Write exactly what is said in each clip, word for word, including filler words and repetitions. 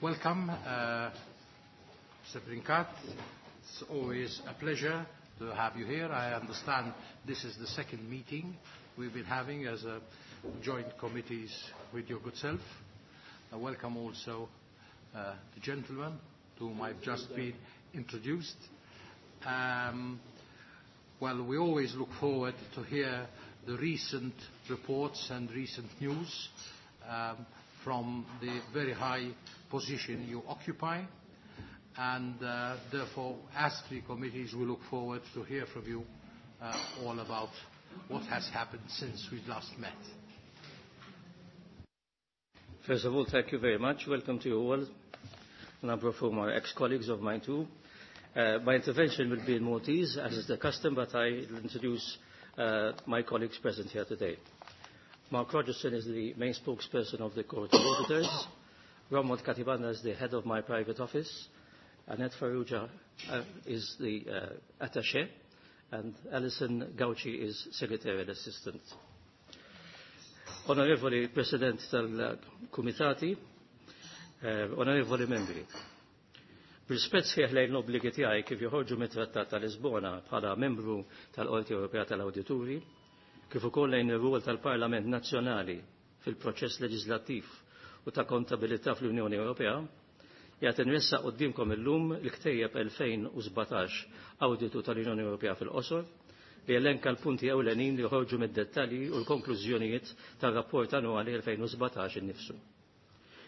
Welcome, uh, Mister Brincat. It's always a pleasure to have you here. I understand this is the second meeting we've been having as a joint committees with your good self. I welcome also uh, the gentleman to whom I've just been introduced. Um, well, we always look forward to hear the recent reports and recent news um, from the very high position you occupy. And uh, therefore, as three committees, we look forward to hear from you uh, all about what has happened since we last met. First of all, thank you very much. Welcome to you all. A number of whom are ex-colleagues of mine too. Uh, my intervention will be in Maltese, as is the custom, but I will introduce uh, my colleagues present here today. Mark Rogerson is the main spokesperson of the Court of Auditors. Romuald Katibanda is the head of my private office. Annette Farrugia uh, is the uh, attaché, and Alison Gauci is secretarial assistant. Onorevoli President tal-Kumitati, eh, onorevoli membri, b'rispett sħiħ lejn l-obbligi tiegħi kif joħorġu mit-Trattat ta' Lisbona bħala membru tal-Qorti Ewropea tal-Awdituri, kif ukoll lejn ir-rwol tal-Parlament Nazzjonali fil-proċess leġislattiv u ta' kontabilità fl-Unjoni Ewropea, jgħat nressaq quddiemkom illum il-ktejjeb elfejn u sbatax Awditu tal-Unjoni Ewropea fil-qosor li jelenka l-punti ewlenin li joħorġu mid-dettalji u l-konklużjonijiet tar-rapport annwali elfejn u sbatax innifsu.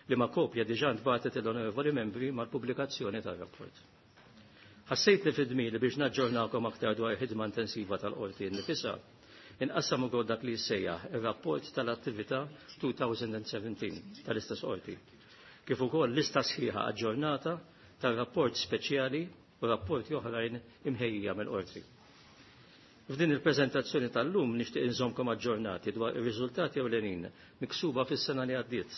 Li ma kopja diġà ntbagħtet l-onorevoli membri mal-pubblikazzjoni tar-rapport. Ħassejt li fid-dmir biex naġġornakom aktar dwar ħidma intensiva tal-qorti nnifisha, inqassam ukoll dak li jissejjaħ ir-rapport tal-attività twenty seventeen tal-istess qorti, kif ukoll lista sħiħa aġġornata tar-rapport speċjali u rapporti oħrajn imħejjija mill-qorti. F'din il-preżentazzjoni tal-lum nixtieq inżommkom aġġornati dwar ir-riżultati ewlenin miksuba fis-sena li għaddiet,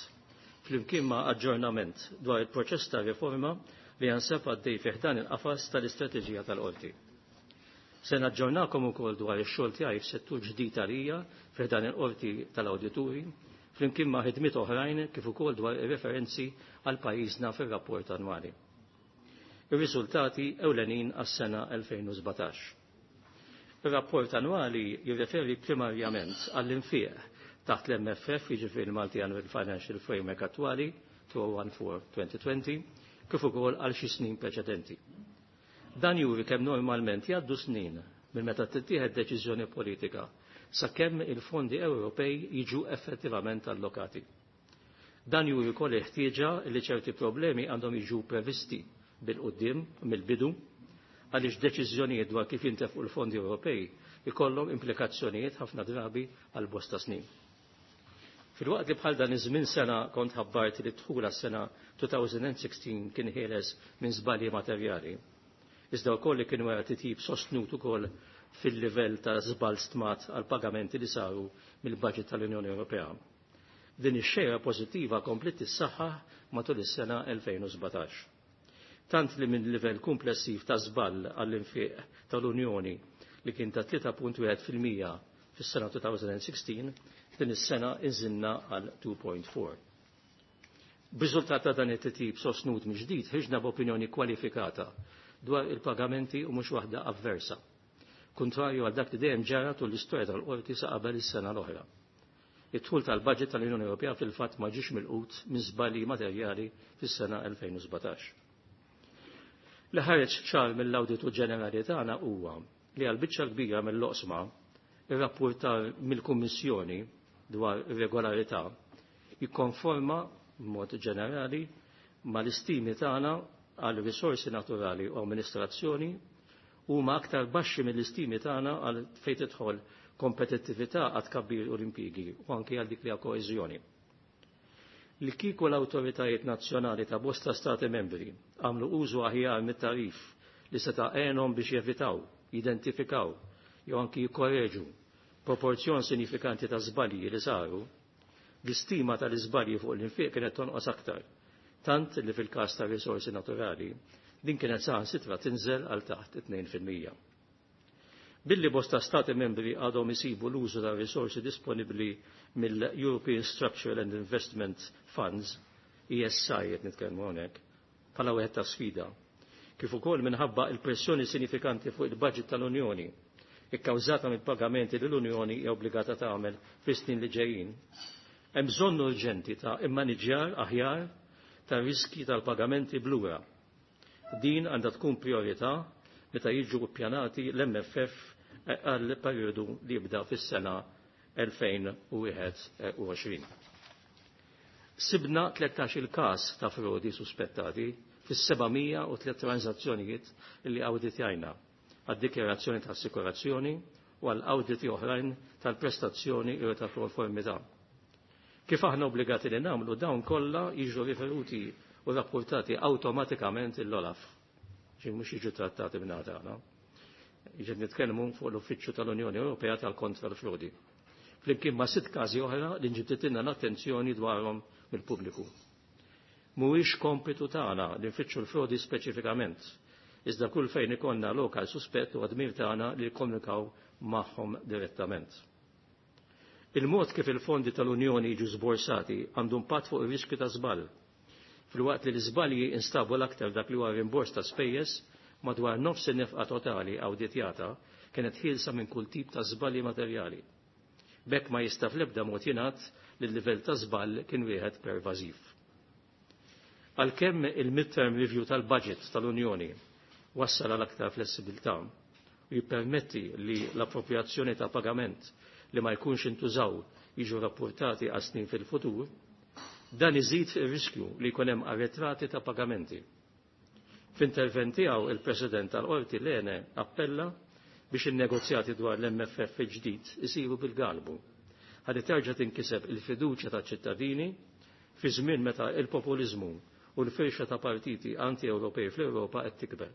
flimkien ma' aġġornament dwar il-proċess ta' riforma li jansab għaddej fih dan il-qafas tal-istrateġija tal-qorti. Se naġġornakom ukoll dwar ix-xogħol tiegħi f'settur ġdid għalija fih dan il-qorti tal-awdituri, flimkien ma' ħidmiet oħrajn kif ukoll dwar ir-referenzi għal pajjiżna fir-rapport annwali. Ir-riżultati ewlenin għas-sena elfejn u sbatax. Ir-rapport annwali jirreferi primarjament għall-infieq taħt l-M F F, jiġifieri l-Multi Annual Financial Framework attwali two oh one four twenty twenty, kif ukoll għal xi snin preċedenti. Dan juri kemm normalment jgħaddu snin minn meta tittieħed deċiżjoni politika sakemm il-fondi Ewropej jiġu effettivament allokati. Dan juri wkoll il-ħtieġa li ċerti problemi għandhom jiġu previsti bil-quddiem mill-bidu għaliex deċiżjonijiet dwar kif jintefqu l-fondi Ewropej ikollhom implikazzjonijiet ħafna drabi għal bosta snin. Fil-waqt li bħal dan iż-żmien sena kont ħabbart li d-dħul għas-sena two thousand sixteen kien ħieles minn żbalji materjali. Iżda wkoll li kien wara titjib sostnut ukoll fil-livell ta' żball stmat għal pagamenti li saru mill-budget tal-Unjoni Ewropea. Din ix-xejra pożittiva kompliet tissaħħaħ matul is-sena elfejn u sbatax. Tant li minn livell komplessiv ta' żball għall-infiq tal-Unjoni li kien ta' tlieta punt wieħed fil-mija fis-sena two thousand sixteen, din is-sena inżilna għal two point four. B'riżultat ta' dan it-titjib sostnut mill-ġdid ħriġna b'opinjoni kwalifikata dwar il-pagamenti u mhux waħda avversa, kontrarju għal dak li dejjem ġara tul l-istorja tal-qorti sa qabel is-sena l-oħra. Id-dħul tal-budget tal-Unjoni Ewropea fil-fatt ma ġiex milqut minn żbalji materjali fis-sena elfejn u sbatax. Li ħareġ ċar mill-Awditu Ġenerali tagħna huwa li għal biċċa kbira mill-oqsma ir-rapportar mill-Kummissjoni dwar irregolarità jikkonforma b'mod ġenerali mal-istimi tagħna għal risorsi naturali u amministrazzjoni huma aktar baxxi mill-istimi tagħna għal fejn tidħol kompetittività għad tkabbir u l-impjiegi u anke għal dik li hija koeżjoni. Li kieku l-awtoritajiet nazzjonali ta' bosta stati membri għamlu użu aħjar mit-tarif li seta' għenhom biex jevitaw, jidentifikaw jew anki jikkoreġu proporzjon sinifikanti ta' żbalji li saru, l-istima tal-iżbalji fuq l-infiq kienet tonqos aktar, tant li fil-każ ta' risorsi naturali din kienet saħansitra tinżel għal taħt tnejn fil-mija. Billi bosta stati membri għadhom isibu l-użu ta' risorsi disponibbli mill-European Structural and Investment Funds E S I qed nitkellmu hawnhekk, bħala wieħed ta' sfida. Kif ukoll minħabba il-pressjoni sinifikanti fuq il-budget tal-Unjoni, ikkawżata mill-pagamenti li l-Unjoni hija obbligata tagħmel fis-snin li ġejjin. Hemm bżonn urġenti ta' immaniġjar aħjar ta' riski tal-pagamenti b'lura. Din għandha tkun priorità meta jiġu ppjanati l-M F F għal perjodu li jibda fis-sena elfejn u wieħed u għoxrin. Sibna tlettax il-każ ta' frodi suspettati fis-seba' mija u tliet transazzjonijiet li awditjajna għad-dikjarazzjoni ta' assikurazzjoni u għal awditi oħrajn tal-prestazzjoni u ta' konformità. Kif aħna obbligati li nagħmlu, dawn kollha jiġu riferuti u rapportati awtomatikament l-OLAF. Ġi mhux jiġu trattati minn tagħna. Jiġi nitkellmu fuq l-Uffiċċju tal-Unjoni Ewropea tal-Kontra l-Frodi. Flimkien ma' sitt każi oħra li nġibditilna l-attenzjoni dwarhom mill-pubbliku. Mhuwiex kompitu tagħna li nfittxu l-frodi speċifikament, iżda kull fejn ikollna lok għal suspett u dmir tagħna li jikkomunikaw magħhom direttament. Il-mod kif il-fondi tal-Unjoni jiġu sborsati għandu impatt fuq ir-riskju ta' żball. Filwaqt li l-iżbalji instabu l-aktar dak li huwa rimbors ta' spejjeż, madwar nofs in-nefqa totali awditjata kienet ħielsa minn kull tip ta' żbalji materjali. B'hekk ma jista' fl-ebda mod jingħad li l-livell ta' żball kien wieħed pervażiv. Għalkemm il-midterm review tal-budget tal-Unjoni wassal għal aktar flessibilità u jippermetti li l-appropriazzjoni ta' pagament li ma jkunx intużaw jiġu rapportati għal snin fil-futur, dan iżid ir-riskju li jkun hemm arretrati ta' pagamenti. F'intervent tiegħu, il-President tal-Qorti Lene appella biex in-negozjati dwar l-M F F ġdid isiru bil-galbu ħalli terġa' tinkiseb il-fiduċja taċ-ċittadini fi żmien meta il-populiżmu u l-firxa ta' partiti anti-Ewropej fl-Ewropa qed tikber.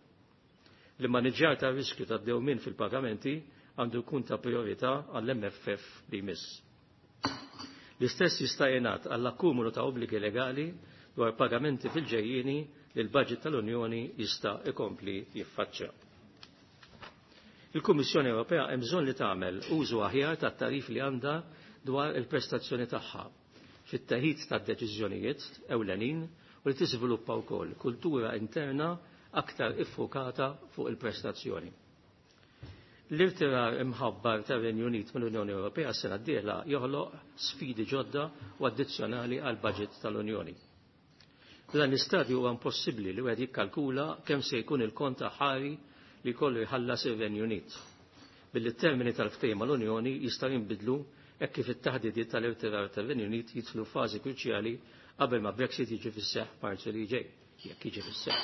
L-immaniġġjar ta' riskju ta' dewmien fil-pagamenti għandu jkun ta' priorità għall-M F F li jmiss. L-istess jista' jingħad għall-akkumulu ta' obbligi legali dwar pagamenti fil-ġejjieni li l-budget tal-Unjoni jista' ikompli jiffaċċja. Il-Kummissjoni Ewropea hemm bżonn li tagħmel użu aħjar tat-tagħrif li għandha dwar il-prestazzjoni tagħha fit-teħid tad-deċiżjonijiet ewlenin u li tiżviluppa wkoll kultura interna aktar iffokata fuq il-prestazzjoni. L-irtirar imħabbar tar-Renju Unit mill-Unjoni Ewropea s-sena d-dieħla joħloq sfidi ġodda u addizzjonali għal budget tal-Unjoni. Dan l-istadju huwa impossibbli li wieħed jikkalkula kemm se jkun il-kont aħħari li jkollu jħallas ir-Renju Unit. Billi t-termini tal-ftehim mal-Unjoni jistgħu jinbidlu hekk kif it-taħdidiet tal-irtirar tar-Renju Unit jidħlu fażi kruċjali qabel ma Brexit jiġi fis-seħħ Marzu li ġej, jekk jiġi fis-seħħ.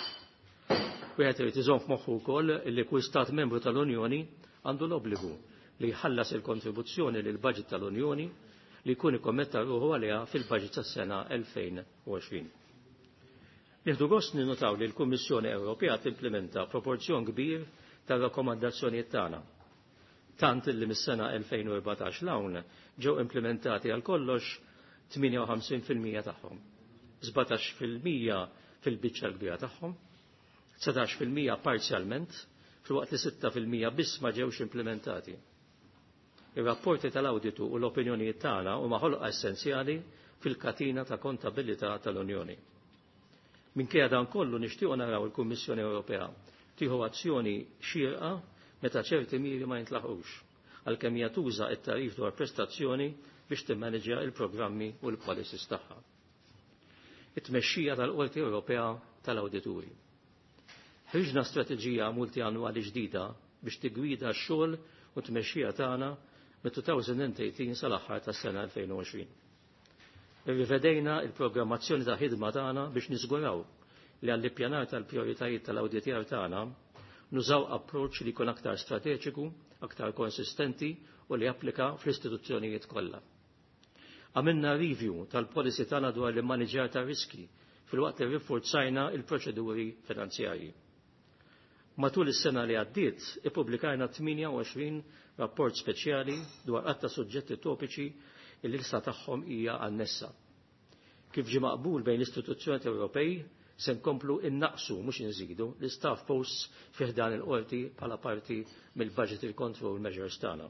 Wieħed irid iżomm f'moħħu wkoll li kull stat membru tal-Unjoni għandu l-obbligu li jħallas il-kontribuzzjoni lil budget tal-Unjoni li jkun ikkommetta ruħu għaliha fil-budget tas-sena elfejn u għoxrin. Nieħdu gost ninnotaw li l-Kummissjoni Ewropea timplementa proporzjon kbir tar-rakkomandazzjonijiet tagħna. Tant li mis-sena elfejn u erbatax 'l hawn ġew implementati għal kollox tmienja u ħamsin fil-mija tagħhom. sbatax fil-mija fil-biċċa l-kbira tagħhom, dsatax fil-mija parzjalment, filwaqt li sitta fil-mija biss ma ġewx implementati. Ir-rapporti tal-awditu u l-opinjonijiet tagħna huma ħolqa essenzjali fil-katina ta' kontabilità tal-Unjoni. Minkejja dan kollu, nixtiequ naraw il-Kummissjoni Ewropea tieħu azzjoni xierqa meta ċerti miri ma jintlaħqux, għalkemm hija tuża t-tagħrif dwar prestazzjoni biex timmaneġja il-programmi u l-policies tagħha. It-tmexxija tal-Qorti Ewropea tal-Awdituri. Ħriġna strateġija multianwali ġdida biex tigwida x-xogħol u tmexxija tagħna mit-elfejn u tmintax sal-aħħar tas-sena elfejn u għoxrin. Irrivedejna il-programmazzjoni ta' ħidma tagħna biex niżguraw li għall-ippjanar tal-prijoritajiet tal-awditjar tagħna nużaw approċċ li jkun aktar strateġiku, aktar konsistenti u li applika fl-istituzzjonijiet kollha. Għamilna review tal-policy tagħna dwar l-immaniġjar ta' riski filwaqt li rinforzajna il-proċeduri finanzjarji. Matul is-sena li għaddiet, ippubblikajna tmienja u għoxrin rapport speċjali dwar għadd ta' suġġetti topiċi li l-lista tagħhom hija annessa. Kif ġi maqbul bejn l-istituzzjoni Ewropej, se nkomplu innaqsu, mhux inżidu, l-staff posts fi ħdan il-qorti bħala parti mill-budgetary control measures tagħna.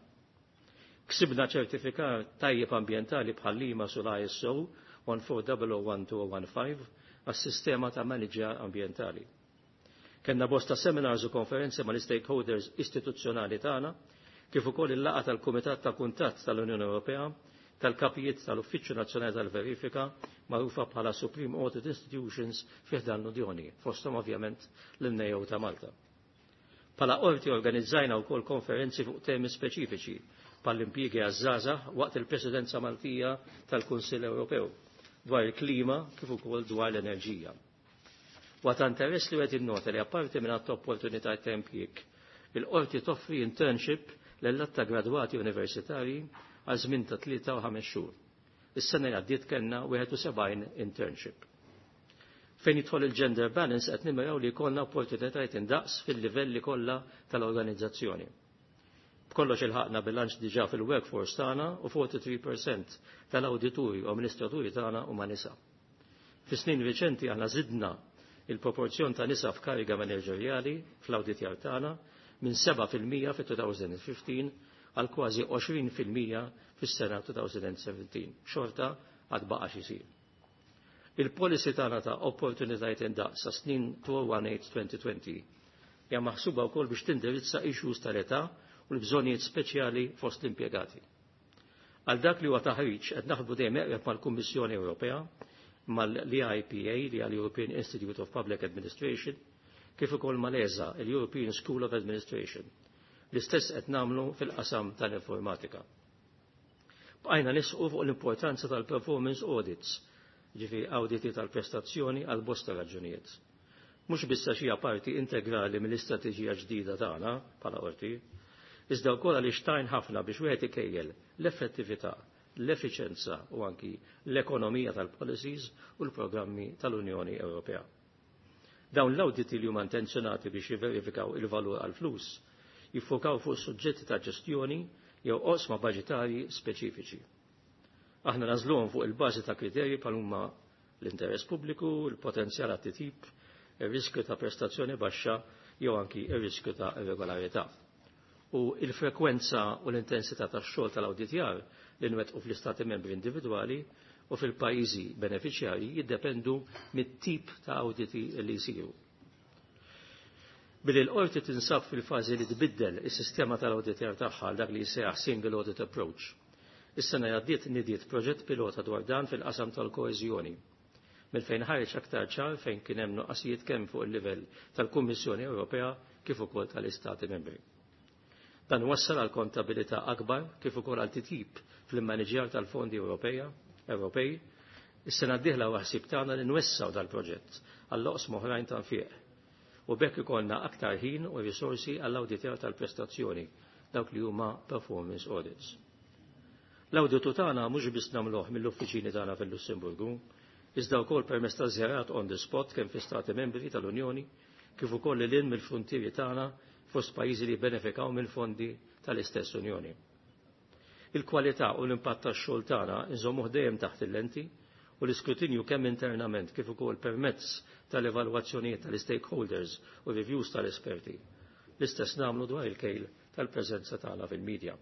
Ksibna ċertifikat tajjeb ambjentali bħal EMAS u l-I S O. one four zero zero one two zero one five għas-sistema ta' maniġjar ambjentali. Kenna bosta seminars u konferenzi mal-stakeholders istituzzjonali tagħna, kif ukoll il-laqgħa tal-Kumitat ta' Kuntatt tal-Unjoni Ewropea tal-kapijiet tal-Uffiċċju Nazzjonali tal-Verifika, magħrufa bħala Supreme Audit Institutions fih dan l-Unjoni, fosthom ovvjament l-N A O ta' Malta. Bħala qorti organizzajna wkoll konferenzi fuq temi speċifiċi bħall-impjiegi għaż-żgħażagħ waqt il-Presidenza Maltija tal-Kunsill Ewropew, dwar il-klima kif ukoll dwar l-enerġija. Waqt interess li qed innota li apparti minn għadd opportunità ta' impjieg, il-qorti toffri internship lil ta' gradwati universitarji għal żmien ta' tlieta u ħames xhur. Is-sena li għaddiet kellna wieħed u sebgħin internship. Fejn jidħol il-gender balance, qed nimmiraw li jkollna opportunitajiet indaqs fil-livelli kollha tal-organizzazzjoni. B'kollox ilħaqna bilanċ diġà fil-workforce tagħna u forty-three percent tal-awdituri u amministraturi tagħna huma nisa. Fi snin riċenti aħna żidna il-proporzjon ta' nisa f'kariga manageriali fl-awditjar tagħna minn seba' fil-mija fit-elfejn u ħmistax għal kważi għoxrin fil-mija fis-sena elfejn u sbatax. Xorta għad baqa' x'isir. Il-policy tagħna ta' opportunitajiet indaqs sa' snin elfejn u tmintax-elfejn u għoxrin hija maħsuba wkoll biex tindirizza issues tal-età u l-bżonnijiet speċjali fost l-impjegati. Għal dak li huwa taħriġ, qed naħdmu dejjem eqreb mal-Kummissjoni Ewropea, mal-E I P A, li għal European Institute of Public Administration, kif ukoll mal-E S A, il-European School of Administration. L-istess qed nagħmlu fil-qasam tal-informatika. Bqajna nisqu fuq l-importanza tal-performance audits, ġifi auditi tal-prestazzjoni, għal bosta raġunijiet. Mhux biss xi parti integrali mill-istrateġija ġdida tagħna bħala qorti, iżda wkoll għaliex tgħin ħafna biex wieħed ikejjel l-effettività, l-effiċenza u anki l-ekonomija tal-policies u l-programmi tal-Unjoni Ewropea. Dawn l-auditi, li huma intenzjonati biex jiverifikaw il-valur għal-flus, jiffokaw fuq suġġetti ta' ġestjoni jew oqsma budġetarji speċifiċi. Aħna nagħżluhom fuq il-bażi ta' kriterji bħal huma l-interess pubbliku, il-potenzjal għat-titjib, ir-riskju ta' prestazzjoni baxxa jew anki ir-riskju ta' irregolarità. U il-frekwenza u l-intensità tax-xogħol tal-awditjar li nwettqu fl-istati membri individwali u fil-pajjiżi beneficjarji jiddependu mit-tip ta' awditi li jsiru. Billi l-qorti tinsab fil-fażi li tbiddel is-sistema tal-awditjar tagħha dak li jsejjaħ Single Audit Approach, is-sena għaddiet nidiet proġett pilota dwar dan fil-qasam tal-koeżjoni, minn fejn ħareġ aktar ċar fejn kien hemm nuqqasijiet kemm fuq il-livell tal-Kummissjoni Ewropea kif ukoll tal-Istati Membri. Dan wassal għal kontabilità akbar kif ukoll għal titjib fl-immaniġjar tal-fondi Ewropeja Ewropej. Is-sena d-dieħla ħsieb tagħna li nwessaw dal-proġett għall oqsma oħrajn ta' nfiq. U b'hekk ikollna aktar ħin u risorsi għall-awditjar tal-prestazzjoni, dawk li huma performance audits. L-awditu tagħna mhux biss nagħmluh mill-uffiċini tagħna fil-Lussemburgu, iżda wkoll permezz ta' żjarat on the spot kemm fi stati membri tal-Unjoni kif ukoll lil mill-fruntieri tagħna fost pajjiżi li benefikaw mill-fondi tal-istess Unjoni. Il-kwalità u l-impatt tax-xogħol tagħna nżommuh dejjem taħt il-lenti u l-iskrutinju, kemm internament kif ukoll permezz tal-evalwazzjonijiet tal-stakeholders u reviews tal-esperti. L-istess nagħmlu dwar il-kejl tal-preżenza tagħna fil-medja.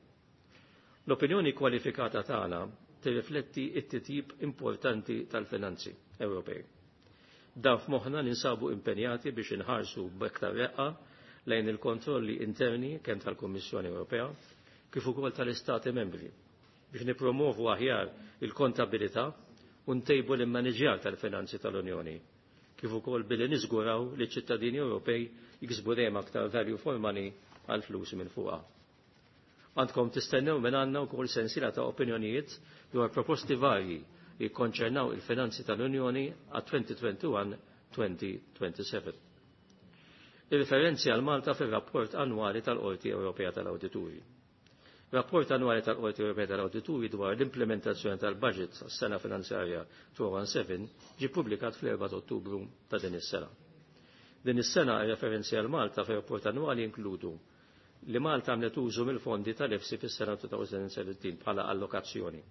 L-opinjoni kwalifikata tagħna tirrifletti t-titjib importanti tal-finanzi Ewropej. Dan f'moħħna, ninsabu impenjati biex inħarsu b'aktar reqqa lejn il-kontrolli interni kemm tal-Kummissjoni Ewropea kif ukoll tal-Istati membri biex nipromovu aħjar il-kontabilità u ntejbu l-immaniġjar tal-finanzi tal-Unjoni, kif ukoll billi niżguraw li ċ-ċittadini Ewropej jiksbu dejjem aktar value for money għal flus minn fuqha. Għandkom tistennew minn għandna wkoll sensiela ta' opinjonijiet dwar proposti varji li jikkonċernaw il-finanzi tal-Unjoni għat-elfejn u wieħed u għoxrin-elfejn u seba' u għoxrin. Il-referenzi għal Malta fil-rapport annwali tal-Qorti Ewropea tal-Awdituri. Rapport annwali tal-Qorti Ewropea tal-Awdituri dwar l-implementazzjoni tal-budget għas-sena finanzjarja elfejn u sbatax ġie ppubblikat fl-erbgħa Ottubru ta' din is-sena. Din is-sena referenzi għal Malta fir-rapport annwali inkludu li Malta għamlet użu mill-fondi tal-EFSI fis-sena elfejn u sbatax bħala allokazzjoni.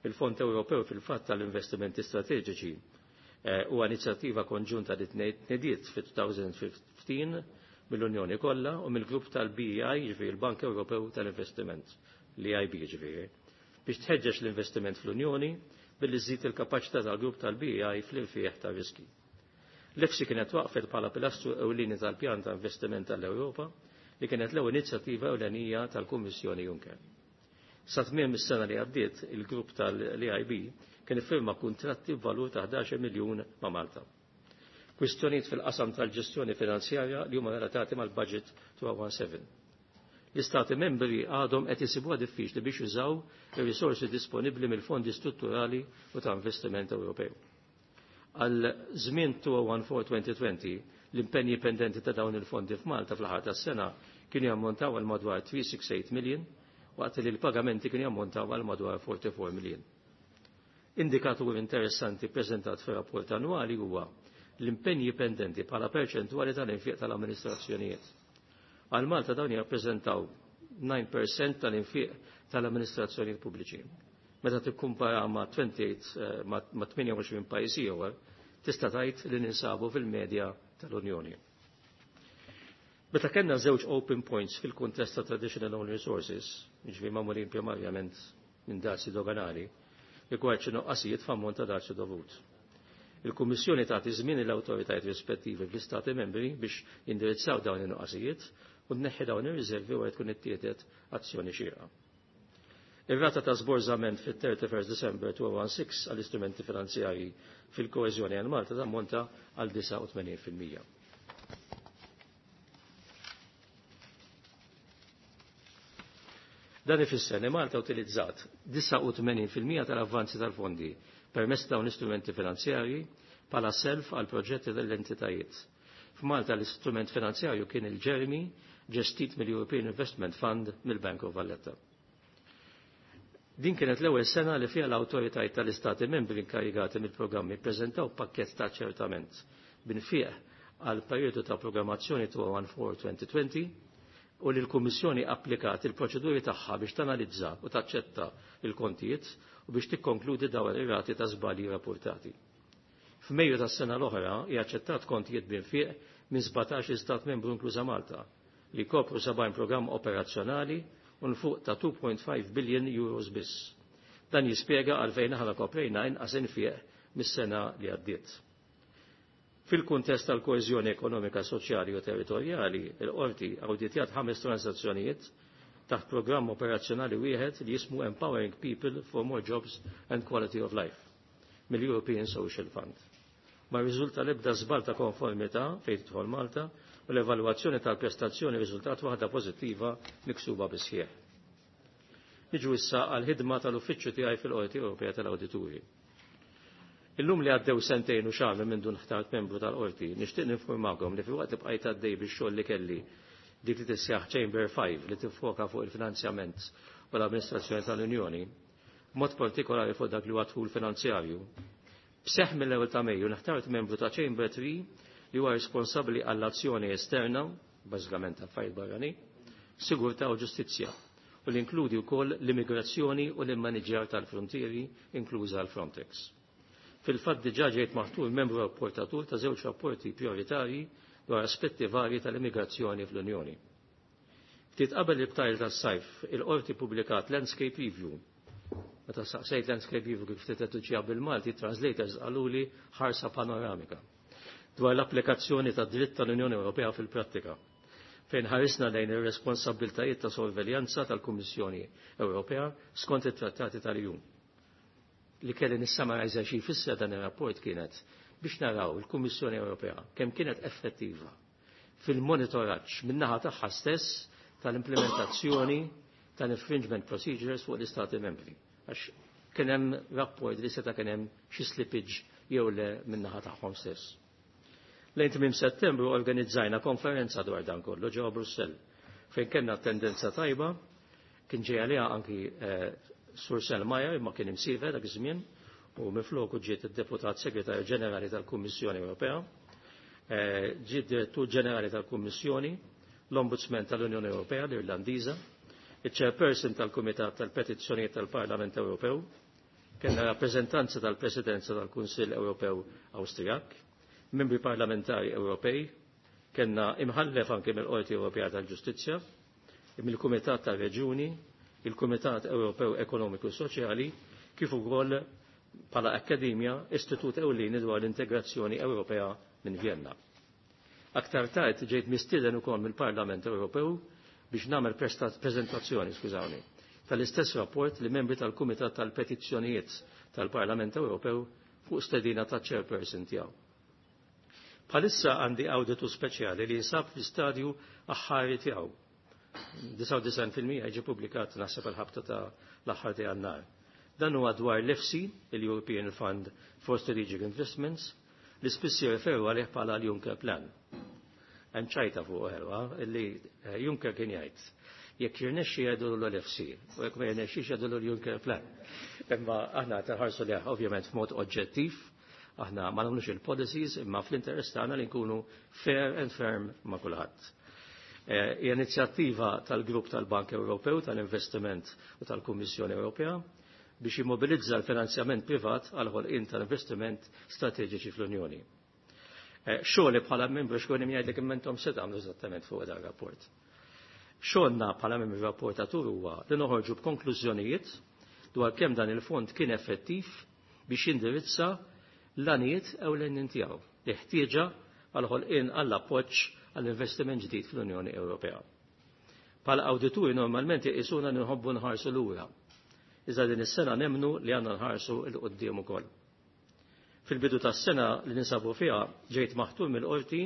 Il-Fond Ewropew fil-fatt tal-Investimenti Strateġiċi eh, huwa inizjattiva konġunta li tnediet fit-elfejn u ħmistax mill-Unjoni kollha u mill-grupp tal-B E I, ġifieri il-Bank Ewropew tal-Investiment, l-E I B ġifieri, biex tħeġġeġ l-investiment fl-Unjoni billi żżid il-kapaċità tal-grupp tal-B E I fl-irfieħ ta' riski. L-EFSI kienet waqfet bħala pilastru ewlieni tal-pjan ta' investiment tal-Ewropa li kienet l-ewwel inizjattiva ewlenija tal-Kummissjoni Juncker. Sa tmiem is-sena li għaddiet, il-grupp tal-E I B kien iffirma kuntratti b'valur ta' ħdax-il miljun ma' Malta. Kwistjonijiet fil-qasam tal-ġestjoni finanzjarja li huma relatati mal-budget elfejn u sittax. L-istati membri għadhom qed isibuha diffiċli biex jużaw ir-risorsi disponibbli mill-fondi strutturali u ta' investiment Ewropew. Għal żmien elfejn u ħdax-elfejn u għoxrin, l-impenji pendenti ta' dawn il-fondi f'Malta fl-aħħar tas-sena kienu jammontaw għal madwar tlieta mija u sitta u disgħin million, waqt li l-pagamenti kienu jammontaw għal madwar erbgħa u erbgħin million. Indikatur interessanti preżentat fir-rapport annwali huwa l-impenji pendenti bħala perċentwali tal-infiq tal-amministrazzjonijiet. Għal Malta dawn jirrappreżentaw disa fil-mija tal-infiq tal-amministrazzjonijiet pubbliċi. Meta tikkumpara ma' tmien u għoxrin eh, ma' tmienja u għoxrin pajjiż ieħor, tista' tgħid li ninsabu fil-medja tal-Unjoni. Meta kellna żewġ open points fil-kuntest ta' traditional own resources, jiġifieri magħmulin primarjament minn dazji doganali, rigward xi nuqqasijiet f'ammont ta' dazju dovut. Il-Kummissjoni tagħti żmien l-awtoritajiet rispettivi fl-Istati membri biex jindirizzaw dawn in-nuqqasijiet u tneħħi dawn ir-riservi wara tkun ittieħdet azzjoni xierqa. Ir-rata ta' żborżament fit-thirty-first December elfejn u sittax għall-istrumenti finanzjarji fil-koeżjoni għal Malta tammonta għal disgħa u tmenin fil-mija. Dan ifisser li Malta utilizzat disgħa u tmenin fil-mija tal-avvanzi tal-fondi permezz dawn l-istrumenti finanzjarji bħala self għal proġetti tal-entitajiet. F'Malta l-istrument finanzjarju kien il-Jeremy, ġestit mill-European Investment Fund mill-Bank of Valletta. Din kienet l-ewwel sena li fiha l-awtoritajiet tal-Istati membri inkarigati mill-programmi ppreżentaw pakkett ta' ċertament b'infiq għal perjodu ta' programmazzjoni elfejn u ħdax-elfejn u għoxrin u li l-Kummissjoni applikat il-proċeduri tagħha biex tanalizza u taċċetta il-kontijiet u biex tikkonkludi dawn ir-rati ta' żbalji rapportati. F'Mejju tas-sena l-oħra hija aċċettat kontijiet b'infiq minn sbatax stat membru, inkluża Malta, li kopru sebgħin programm operazzjonali u nfuq ta' tnejn punt ħamsa billion euros biss. Dan jispjega għalfejn aħna koprejna inqas infiq mis-sena li għaddiet. Fil-kuntest tal-koeżjoni ekonomika, soċjali u territorjali, il-qorti awditjat ħames transazzjonijiet taħt programm operazzjonali wieħed li jismu Empowering People for More Jobs and Quality of Life mill-European Social Fund. Ma riżulta l-ebda żball ta' konformità fejn tidħol Malta u l-evalwazzjoni tal-prestazzjoni riżultat waħda pożittiva miksuba bisħieħ. Niġu issa għal-ħidma tal-uffiċċju tiegħi fil-Qorti Ewropea tal-Awdituri. Illum li għaddew sentejn u xahar minn dun ħtart membru tal-qorti, nixtieq ninformakom li filwaqt li bqajt għaddej bix-xogħol li kelli dik li tissejjaħ Chamber five, li tiffoka fuq il-finanzjament u l-amministrazzjoni tal-Unjoni, mod partikolari fuq dak li huwa dħul finanzjarju. B'seħ mill-ewwel ta' Mejju nħtart membru ta' Chamber three, li huwa responsabbli għall-azzjoni esterna, bażikament affarijiet barranin, sigurtà u ġustizzja, u li inkludi wkoll l-immigrazzjoni u l-immaniġjar tal-frontieri, inkluża l-Frontex. Fil-fatt diġà ġejt maħtur membru rapportatur ta' żewġ rapporti prioritarji dwar aspetti varji tal-immigrazzjoni fl-Unjoni. Ftit qabel il-btajl tas-sajf, il-qorti publikat Landscape Review. Meta saqsejt Landscape Review kif tittraduċiha bil-Malti, translators qaluli ħarsa panoramika dwar l-applikazzjoni ta' dritt tal-Unjoni Ewropea fil-prattika, fejn ħarisna lejn ir-responsabbiltajiet ta' sorveljanza tal-Kummissjoni Ewropea skont it-trattati tal-E U. Li kelli nissamarajza xi jfisser dan ir-rapport kienet biex naraw il-Kummissjoni Ewropea kemm kienet effettiva fil-monitoraġġ min-naħa tagħha stess tal-implementazzjoni tal-infringement procedures fuq l-Istati membri. Għax kien hemm rapport li seta' kien hemm xi slippage jew le min-naħa tagħhom stess. Lejn tmiem Settembru organizzajna konferenza dwar dan kollu ġewwa Brussell, fejn kellna tendenza tajba, kien ġej għaliha anki eh, Sur Selmayr, imma kien imsiefer dak iż-żmien u mifloku ġiet id-Deputat Segretarju Ġenerali tal-Kummissjoni Ewropea, eh, ġiet Direttur Ġenerali tal-Kummissjoni, l-Ombudsman tal-Unjoni Ewropea, l-Irlandiża, il-Chairperson tal-Kumitat tal-Petizzjonijiet tal-Parlament Ewropew, kellna rappreżentanza tal-Presidenza tal-Kunsill Ewropew Awstrijak, membri parlamentari Ewropej, kellna imħallef anke mill-Qorti Ewropea tal-Ġustizzja, mill-Kumitat tal-Reġuni, il-Kumitat Ewropew Ekonomiku Soċjali, kif ukoll bħala akkademja istitut ewlieni dwar l-integrazzjoni Ewropea minn Vienna. Aktar tard ġejt mistieden ukoll mill-Parlament Ewropew biex nagħmel preżentazzjoni, skużawni, tal-istess rapport li membri tal-Kumitat tal-Petizzjonijiet tal-Parlament Ewropew fuq stedina ta' chairperson tiegħu. Bħalissa għandi awditu speċjali li jinsab fl-istadju aħħari tiegħu. disgħa u disgħin fil-mija jiġi publikat naħseb il-ħabta ta' l-aħħar ta' Jannar. Dan huwa dwar l-EFSI, il-European Fund for Strategic Investments, li spiss jirreferu għalih bħala l-Juncker Plan. Hemm ċajta fuq ħelwa illi eh, Juncker kien jgħid jekk jirnexxi jgħidu l-EFSI u jekk ma jirnexxix jgħidu l-Juncker Plan. Imma aħna taħarsu li ovvjament f'mod oġġettiv, aħna ma nagħmlux il-policies imma fl-interess tagħna li nkunu fair and firm ma' kulħadd. Eh, hija inizjattiva tal-Grupp tal-Bank Ewropew tal-Investiment u tal-Kummissjoni Ewropea biex jimmobilizza l-finanzjament privat għal ħolqien tal-investiment strateġiċi fl-Unjoni. Eh, xogħli bħala membru xkun jgħidlek immentom se tagħmlu eżattament fuq dan rapport. Xogħolna bħala membru rapportatur huwa li noħorġu b'konklużjonijiet dwar kemm dan il-fond kien effettiv biex jindirizza l-għanijiet ewlenin tiegħu li ħtieġa għal ħolqien għall appoġġ għall-investiment ġdid fl-Unjoni Ewropea. Bħala awdituri normalment jqisuna nħobbu nħarsu lura. Iżda din is-sena nemnu li għandna nħarsu 'l quddiem ukoll. Fil-bidu tas-sena li ninsabu fiha ġejt maħtur mill-qorti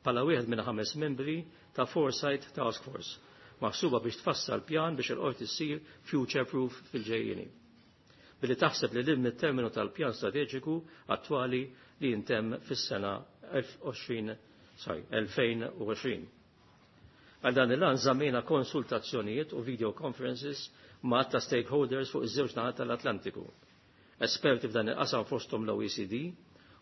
bħala wieħed minn ħames membri ta' Foresight Task Force, maħsuba biex tfassal pjan biex il-qorti ssir future proof fil-ġejjieni. Billi taħseb li lil terminu tal-pjan strateġiku attwali li jintemm fis-sena sorry, elfejn u għoxrin. Għal dan il-għan żammejna konsultazzjonijiet u video conferences ma' ta' stakeholders fuq iż-żewġ naħat tal-Atlantiku. Esperti f'dan il-qasam fosthom l-O E C D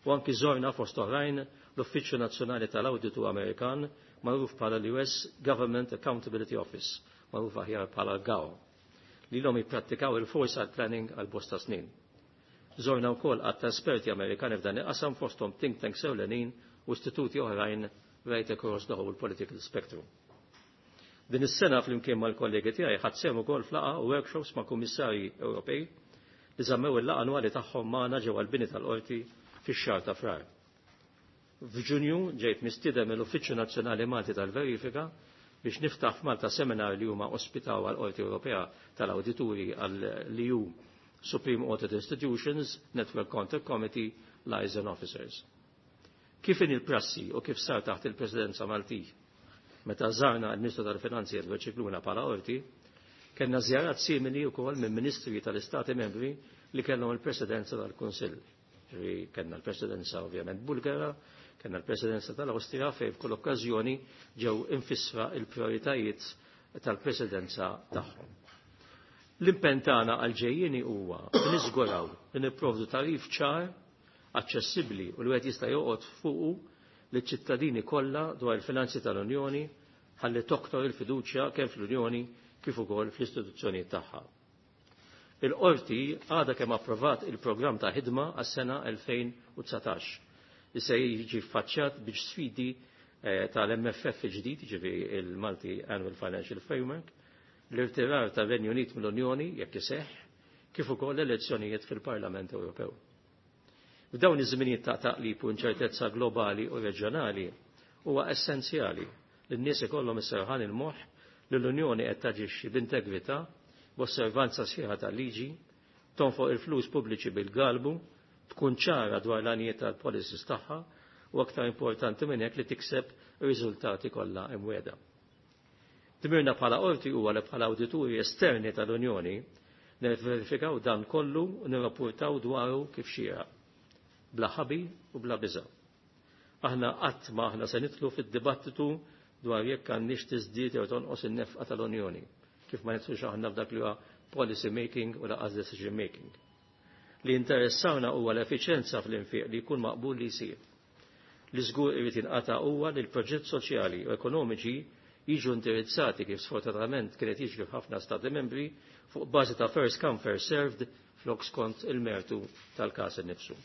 u anki żorna fost oħrajn l-Uffiċċju Nazzjonali tal-Awditu Amerikan magħruf bħala l-U S Government Accountability Office, magħruf aħjar bħala GAO, li l jipprattikaw il-foresight planning għal bosta snin. Żorna wkoll għadd ta' esperti Amerikani f'dan il-qasam fosthom think tanks ewlenin u istituti oħrajn right across the whole political spectrum. Din is-sena flimkien mal-kollegi tiegħi ħadt sehem ukoll f'laqgħa u workshops ma' kummissarji Ewropej li żammew il-laqgħa annwali tagħhom magħna ġewwa l-bini tal-qorti fix-xahar ta' Frar. F'Ġunju ġejt mistieden mill-Uffiċċju Nazzjonali Malti tal-Verifika biex niftaħ f'Malta seminar li huma ospitaw għal Qorti Ewropea tal-Awdituri għall-E U Supreme Audit Institutions Network Contact Committee Liaison Officers. Kif in il-prassi u kif sar taħt il-Presidenza Malti meta żarna l-Ministru tal-Finanzi Edward Scicluna bħala qorti, kellna żjarat simili wkoll minn ministri tal-Istati membri li kellhom il-Presidenza tal-Kunsill. Kellna l-Presidenza ovvjament Bulgara, kellna l-Presidenza tal-Awstrija fejn f'kull okkażjoni ġew infissra il-prioritajiet tal-Presidenza tagħhom. L-impenn tagħna għal-ġejjieni huwa li niżguraw li nipprovdu tagħrif ċar, aċċessibbli u li wieħed jista' joqgħod fuqu liċ-ċittadini kollha dwar il-finanzi tal-Unjoni ħalli toktor il-fiduċja kemm fl-Unjoni kif ukoll fl-istituzzjonijiet tagħha. Il-qorti għadha kemm approvat il-programm ta' ħidma għas-sena elfejn u dsatax li se jiġi faċċat biex sfidi eh, tal-M F F ġdid, ġifieri il-Multi Annual Financial Framework, l-irtirar tar-Renju Unit mill-Unjoni jekk iseħħ, kif ukoll l-elezzjonijiet fil-Parlament Ewropew. F'dawn iż-żminijiet ta' taqlib u inċertezza globali u reġjonali huwa essenzjali li n-nies ikollhom is-serħan il-moħħ li l-Unjoni qed taġixxi b'integrità, b'osservanza sħiħa tal-liġi, tonfoq il-flus pubbliċi bil-galbu, tkun ċara dwar l-għanijiet tal-policies tagħha u aktar importanti minn hekk li tikseb ir-riżultati kollha imwiegħda. Dmirna bħala qorti huwa li bħala awdituri esterni tal-Unjoni nirverifikaw dan kollu u nirrapportaw dwaru kif xieraq, bla ħabi u bla biża'. Aħna qatt ma aħna se nidħlu fid-dibattitu dwar jekk għandniex tiżdied jew tonqos in-nefqa tal-Unjoni, kif ma nidħlux aħna f'dak li huwa policy making u lanqas decision making. Li interessawna huwa l-effiċenza fl-infiq li jkun maqbul li jsir. Li żgur irid jinqata' huwa li l-proġett soċjali u ekonomiċi jiġu indirizzati kif sfortunatament kienet jiġri f'ħafna stati membri fuq bażi ta' first come first served flok skont il-mertu tal-każ innifsu.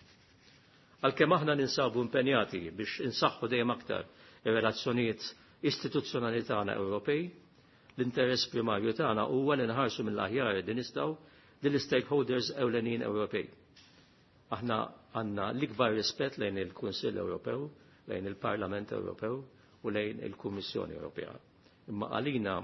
Għalkemm aħna ninsabu impenjati biex insaħħu dejjem aktar ir-relazzjonijiet istituzzjonali tagħna Ewropej, l-interess primarju tagħna huwa li nħarsu mill-aħjar li nistgħu lill-stakeholders ewlenin Ewropej. Aħna għandna l-ikbar rispett lejn il-Kunsill Ewropew, lejn il-Parlament Ewropew u lejn il-Kummissjoni Ewropea. Imma għalina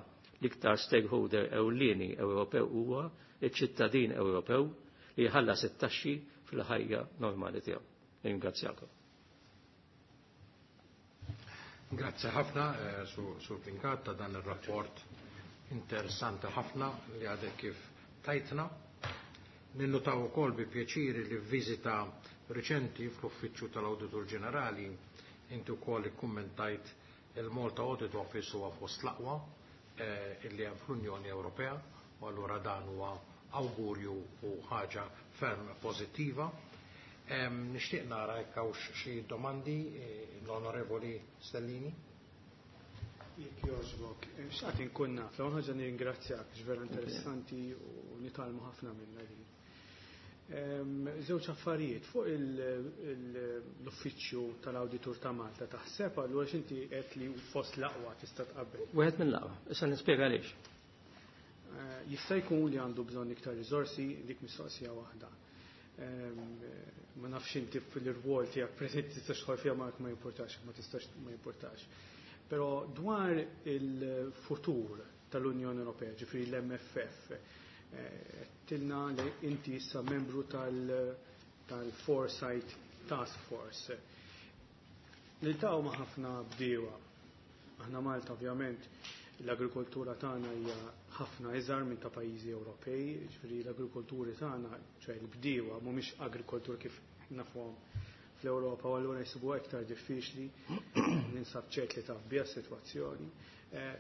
l-iktar stakeholder ewlieni Ewropew huwa iċ-ċittadin Ewropew li jħallas it-taxxi fil-ħajja normali tiegħu. Ringrazzjakom. Grazzi ħafna, eh, Sur Brincat, ta' dan ir-rapport interessanti ħafna li għadek kif tajtna. Ninnutaw ukoll bi pjaċiri li f'viżita riċenti fl-Uffiċċju tal-Awditur Ġenerali inti wkoll ikkummentajt il-Malta Audit Office huwa fost l-aqwa eh, illi hemm fl-Unjoni Ewropea u allura dan huwa awgurju u ħaġa ferm pożittiva. Nixtieq nara jekk hawnx xi domandi eh, l-Onorevoli Stellini. Jekk jogħġbok, eh, xtaqt inkun naf, l-ewwel ħaġa nirringrazzjak, vera interessanti u nitgħallmu ħafna minnha din. Żewġ affarijiet fuq l-uffiċċju tal-Awditur ta' Malta taħseb allura x'inti qed li fost l-aqwa tista' tqabbel. Wieħed mill-aqwa, issa nispjega għaliex. Eh, jista' jkun li għandu bżonn iktar riżorsi, dik mistoqsija waħda. Ma nafx inti fil-rwol tiegħek preżenti tistax tħol fiha ma ma jimpurtax, ma tistax ma jimpurtax. Però dwar il-futur tal-Unjoni Ewropea, ġifieri l-M F F, tilna li inti issa membru tal-Foresight Task Force. Niltaqgħu ma' ħafna bdiewa. Aħna Malta, ovvjament, l-agrikoltura tagħna hija ħafna iżgħar minn ta' pajjiżi Ewropej, ġifieri l-agrikolturi tagħna, ċe l-bdiewa mhumiex agrikoltur kif nafuhom fl-Ewropa u allura jsibuha iktar diffiċli, ninsab ċert li taf biha s-sitwazzjoni,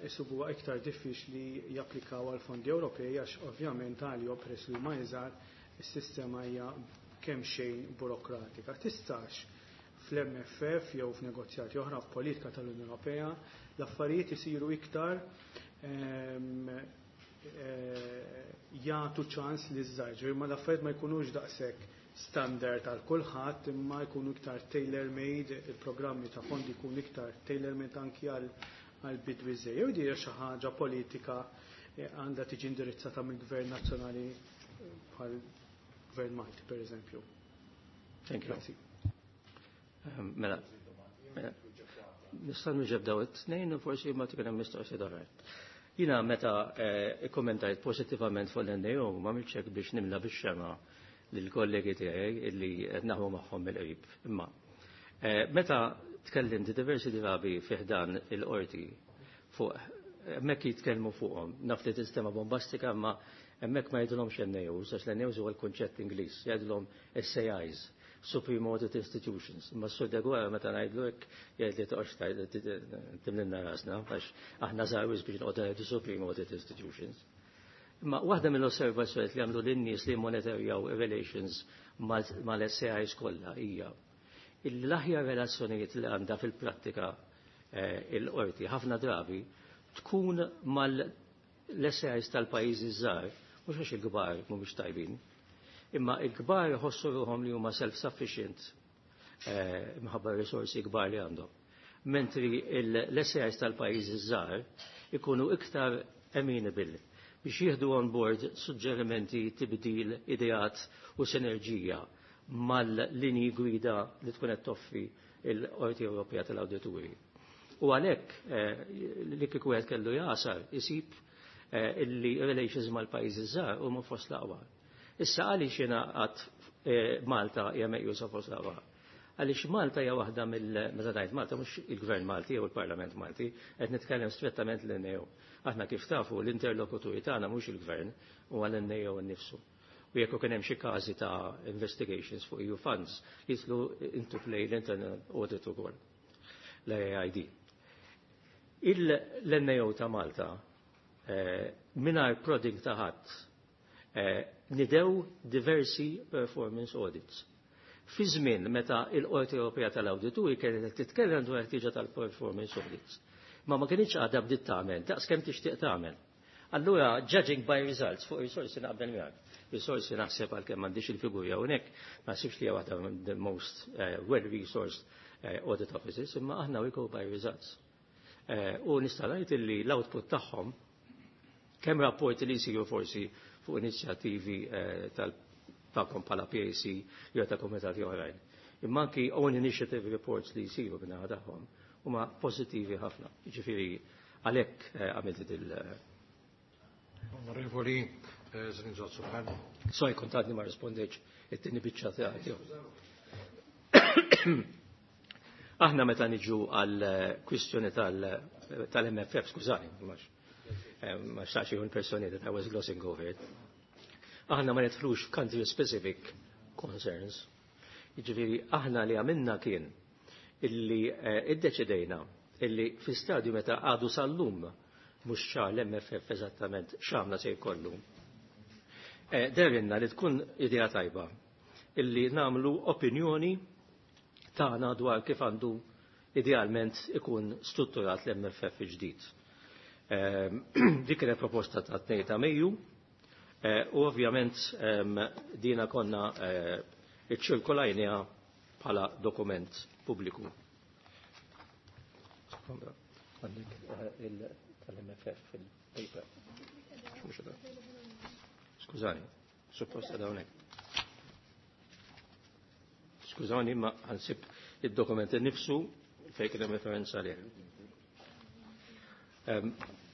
jsibuha iktar diffiċli japplikaw għal fondi Ewropej għax ovvjament għalihom, peress li huma iżgħar, is-sistema hija kemm xejn burokratika. Tistax fl-M F F jew f'negozjati oħra f'politika tal-Unjoni Ewropea l-affarijiet isiru iktar ehm, eh, jagħtu ċans li żgħar, imma l-affarijiet ma jkunux daqshekk standard għal kulħadd, imma jkunu iktar tailor-made, il-programmi ta' fondi jkunu iktar tailor-made anki għal għal bidwi żgħir. Jew di xi ħaġa politika eh, għandha tiġi indirizzata mill-Gvern Nazzjonali eh, bħal Gvern Malti, per eżempju. Thank you. Grazzi. Ehm, mela, mela, nista' nwieġeb daw it-tnejn u forsi ma tkun hemm mistoqsija oħra. Jiena meta eh, ikkommentajt pożittivament fuq l-N A O ma hekk biex nimla bix-xema lill-kollegi tiegħi illi qed naħdmu magħhom mill-qrib. Imma eh, meta tkellimt diversi drabi fi ħdan il-qorti fuq hemmhekk jitkellmu fuqhom, naf li sistema bombastika, imma hemmhekk ma jgħidulhomx N A Os, għax l-N A Os huwa l-kunċett Ingliż, jgħidulhom S A Is, Supreme Audit Institutions. Ma s-Sur Deguara meta ngħidlu hekk jgħid li toqgħodx timlilna rasna għax aħna żgħar biex noqogħdu ngħidu Supreme Audit Institutions. Imma waħda mill-osservazzjonijiet li għamlu lin-nies li monitorjaw relations mal-S A Is kollha hija l-aħjar relazzjonijiet li għandha fil-prattika eh, il-qorti ħafna drabi tkun mal-S A Is tal-pajjiżi żgħar, mhux għax il-kbar mhumiex tajbin, imma il-kbar jħossu ruħhom li huma self-sufficient eh, minħabba risorsi kbar li għandhom. Mentri l-S A Is tal-pajjiżi żgħar ikunu iktar amenable biex jieħdu on board suġġerimenti, tibdil, ideat u sinerġija mal-linji gwida li tkun qed toffri l-Qorti Ewropea tal-Awdituri. U għalhekk eh, li kieku wieħed kellu jasar isib eh, illi relations mal-pajjiżi żgħar huma fost l-aqwa. Issa għaliex jiena għad eh, Malta hija meqjusa fost l-aqwa? Għaliex Malta hija waħda mill meta ngħid Malta mhux il-Gvern Malti jew il-Parlament Malti, qed nitkellem strettament l-N A O. Aħna, kif tafu, l-interlokuturi tagħna mhux il-Gvern, huwa l-N A O nnifsu. U jekk kien hemm xi każi ta' investigations fuq E U funds, jidħlu into play l-internal audit ukoll, l-A I D. Il-N A O ta' Malta, eh, mingħajr prodding ta' ħadd, eh, nidew diversi performance audits. Fi żmien meta il-Qorti Ewropea tal-Awdituri kienet titkellem dwar ħtieġa tal-performance audits. Ma ma kienx għadha bdiet tagħmel, daqs kemm tixtieq tagħmel. Allura, judging by results, fuq risorsi naqbel miegħek. Risorsi naħseb, għalkemm m'għandix il-figuri hawnhekk, ma naħsibx li hija waħda the most uh, well-resourced uh, audit offices, imma aħna we go by results. Uh, u nista' ngħid illi l-output tagħhom, kemm rapporti li jsiru forsi fuq inizjattivi uh, tagħkom bħala P A C jew ta' kumitati oħrajn. Imma anki own initiative reports li jsiru min-naħa tagħhom huma pożittivi ħafna. Jiġifieri għalhekk għamilt il- Onorevoli Zrinzo Azzopardi. Sorry, kont għadni ma rispondejtx it-tieni biċċa tiegħi. Aħna meta niġu għal kwistjoni tal-M F F, skużani, ma xtaqx jkun personi that I was glossing over it. Aħna ma nidħlux f'country specific concerns. Jiġifieri aħna li għamilna kien illi iddeċidejna illi fi stadju meta għadu sal-lum mhux ċar l-M F F eżattament x'għamla se jkollu. Derinna li tkun idea tajba illi nagħmlu opinjoni tagħna dwar kif għandu idealment ikun strutturat l-M F F ġdid. Dik kienet proposta ta' tnejn ta' Mejju u ovvjament dina konna iċċirkolajniha bħala dokument pubbliku. Għandek tal-M F F fil-paper. Skużani, suppost għadha hawnhekk. Skużani, ma ħansib id-dokument innifsu fejn kien hemm referenza għalih.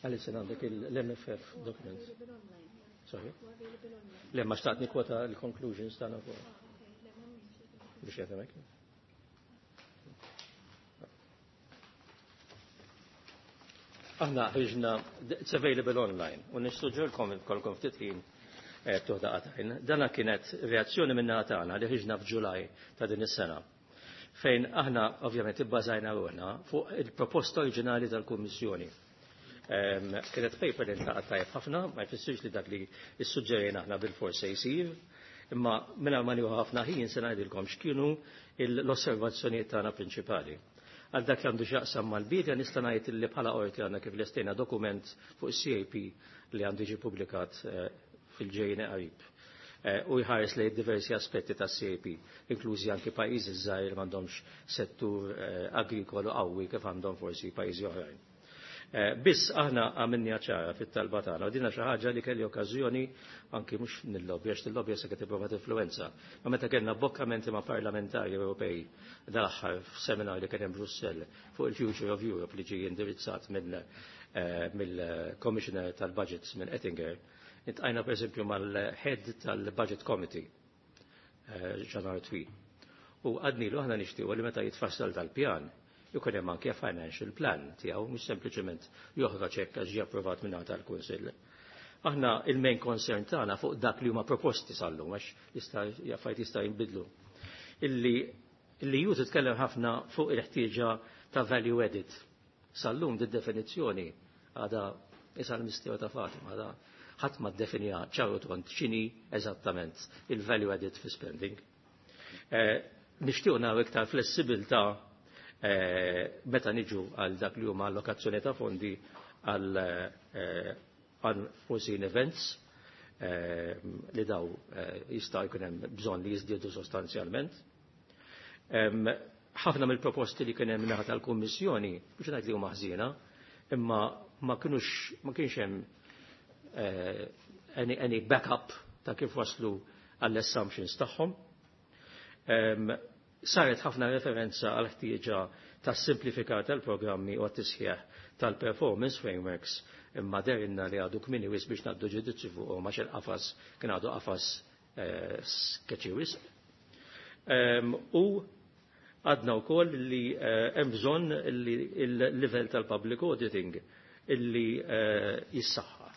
Għalissa għandek l-M F F document. Sorry? Le, ma xtaqt nikwota l-conclusions tagħna fuq. Biex jagħtemek. Aħna ħriġna, it's available online, u nissuġġerkom kolkom ftit ħin tuħda qatajn. Dana kienet reazzjoni minna tagħna li ħriġna f'Ġulaj ta' din is-sena, fejn aħna ovvjament ibbażajna ruħna fuq il-proposta oriġinali tal-Kummissjoni. Kienet paper li ntaqgħet tajjeb ħafna, ma jfissirx li dak li ssuġġerejna aħna bil-fors se jsir, imma mingħajr ma nieħu ħafna ħin se ngħidilkom x'kienu l-osservazzjonijiet tagħna prinċipali. Għal dak li għandu x'jaqsam mal-bidja nista' ngħid li bħala qorti għandna kif lestejna dokument fuq is-C A P li għandu jiġi ppubblikat fil-ġejjeni qarib. U jħares lejn diversi aspetti tas-C A P, inklużi anki pajjiżi żgħir li m'għandhomx settur agrikolu qawwi kif għandhom forsi pajjiżi oħrajn. Biss aħna għamilni ċara fit-talba tagħna, u dinha xi ħaġa li kelli okkażjoni anki mhux nil-lobby, għax nil-lobby se qed tipprova tinfluwenza. Ma meta kellna bokkamenti ma' parlamentari Ewropej dal-aħħar f'seminar li kien hemm Brussell fuq il-Future of Europe li ġie indirizzat mill-Commissioner tal-Budgets minn Oettinger, intqajna pereżempju mal-head tal-Budget Committee, Jean Arthuis. U għadnilu aħna nixtiequ li meta jitfassal dal-pjan jkun hemm anke financial plan tiegħu mhux sempliċement joħroġ hekk għax ġie approvat minn tal-Kunsill. Aħna il-main concern tagħna fuq dak li huma proposti sal-lum għax jista' affarijiet jista' jinbidlu. Illi illi ju titkellem ħafna fuq il-ħtieġa ta' value added. Sal-lum di definizzjoni għadha isa l-misteru ta' Fatima, għadha ħadd ma ddefinija ċaru tont x'inhi eżattament il-value added fi spending. Nixtieq naraw iktar flessibilità meta niġu għal dak li huma allokazzjoni ta' fondi għal unforeseen events li daw jista' jkun hemm bżonn li jiżdiedu sostanzjalment. Ħafna mill-proposti li kien hemm naħa tal-Kummissjoni, mhux ngħid li huma ħżiena, imma ma kinux ma kienx hemm any, any backup ta' kif waslu għall-assumptions tagħhom. Saret ħafna referenza għal ħtieġa ta' simplifikar tal-programmi u għat-tisħiħ tal-performance frameworks, imma derinna li għadu kmini wis biex naddu ġudizzju fuq għax il-qafas kien għadu qafas sketchy wisq. U għadna wkoll li hemm bżonn li l-livell tal-public auditing illi jissaħħa.